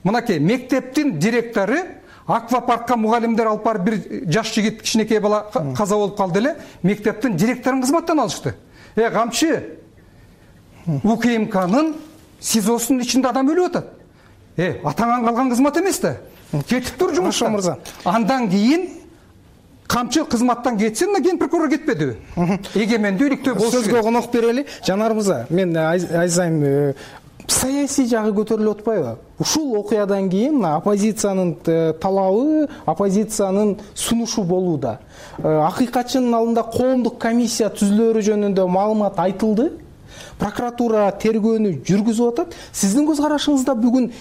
Мынакей мектептин директору аквапаркка мугалимдер алып барып бир жаш жигит, кичинекей бала каза болуп калды эле, мектептин директорун кызматтан алышты. Э, камчы, УКМКнын СИЗОсунун ичинде адам өлүп атат. Э, атаңан калган кызмат эмес да. Кетип тур жумуштан мырза. Андан кийин камчы кызматтан кетсин, ген прокурор кетпедиби? Эгемендүү иликтөө болушу керек. Сөзгө конок берели. Жанар мырза, мен айзайм, саясий жагы көтөрүлүп атпайбы? Ушул окуядан кийин оппозициянын талабы, оппозициянын сунушу болууда. Акыйкатчынын алдында коомдук комиссия түзүлөрү жөнүндө маалымат айтылды. Прокуратура тергөөнү жүргүзүп атат. Сиздин көз карашыңызда бүгүн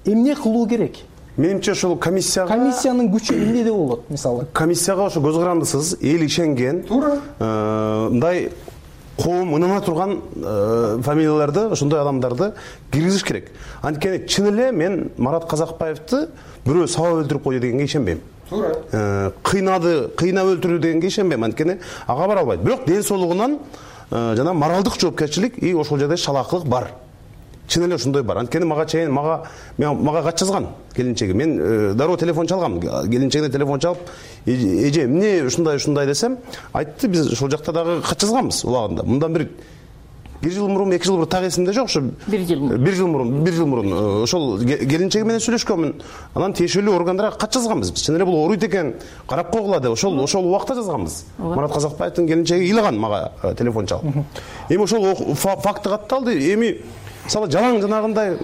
эмне кылуу керек? Менимче ошол комиссияга комиссиянын күчү эмнеде болот, мисалы? Комиссияга ошо көз карандысыз, эл ишенген, туура, мындай коом ынына турган фамилияларды, ошондой адамдарды киргизиш керек. Анткени чын эле мен Марат Казакбаевди бирөө сабап өлтүрүп койду дегенге ишенбейм. Туура. Кыйнады, кыйнап өлтүрдү дегенге ишенбейм. Анткени ага бара албайт. Бирок ден соолугунан жана моралдык жоопкерчилик и ошол жерде шалаакылык бар. чын эле ошондой бар. Анткени мага чейин мага мага кат жазган келинчеги. Мен дароо телефон чалгам. Келинчегине телефон чалып, эже эмне ушундай ушундай десем, айтты, биз ошол жакта дагы кат жазганбыз убагында. Мындан бир бир жыл мурун, эки жыл мурун так эсимде жок, ошо бир жыл мурун. бир жыл мурун, бир жыл мурун ошол келинчеги менен сүйлөшкөнмүн. Анан тиешелүү органдарга кат жазганбыз. Биз чын эле бул ооруйт экен, карап койгула деп ошол ошол убакта жазганбыз. Марат Казакбаевдин келинчеги ыйлаган мага телефон чалып. Эми ошол факты катталды. Эми мисалы жалаң жанагындай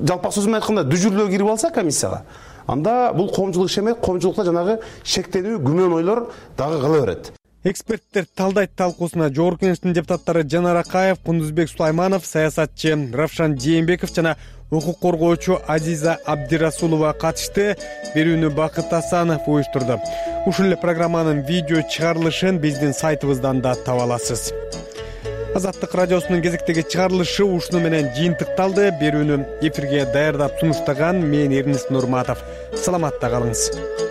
жалпак сөз менен айтканда дүжүрлөө кирип алса комиссияга, анда бул коомчулук иши эмес, коомчулукта жанагы шектенүү, күмөн ойлор дагы кала берет. Эксперттер талдайт талкуусуна Жогорку Кеңештин депутаттары Жанар Акаев, Кундузбек Сулайманов, саясатчы Равшан Жээнбеков жана укук коргоочу Азиза Абдирасулова катышты. Берүүнү Бакыт Асанов уюштурду. Ушул эле программанын видео чыгарылышын биздин сайтыбыздан да таба аласыз. Азаттык радиосунун кезектеги чыгарылышы ушуну менен жыйынтыкталды. Берүүнү эфирге даярдап сунуштаган мен Эрнис Нурматов. Саламатта калыңыз.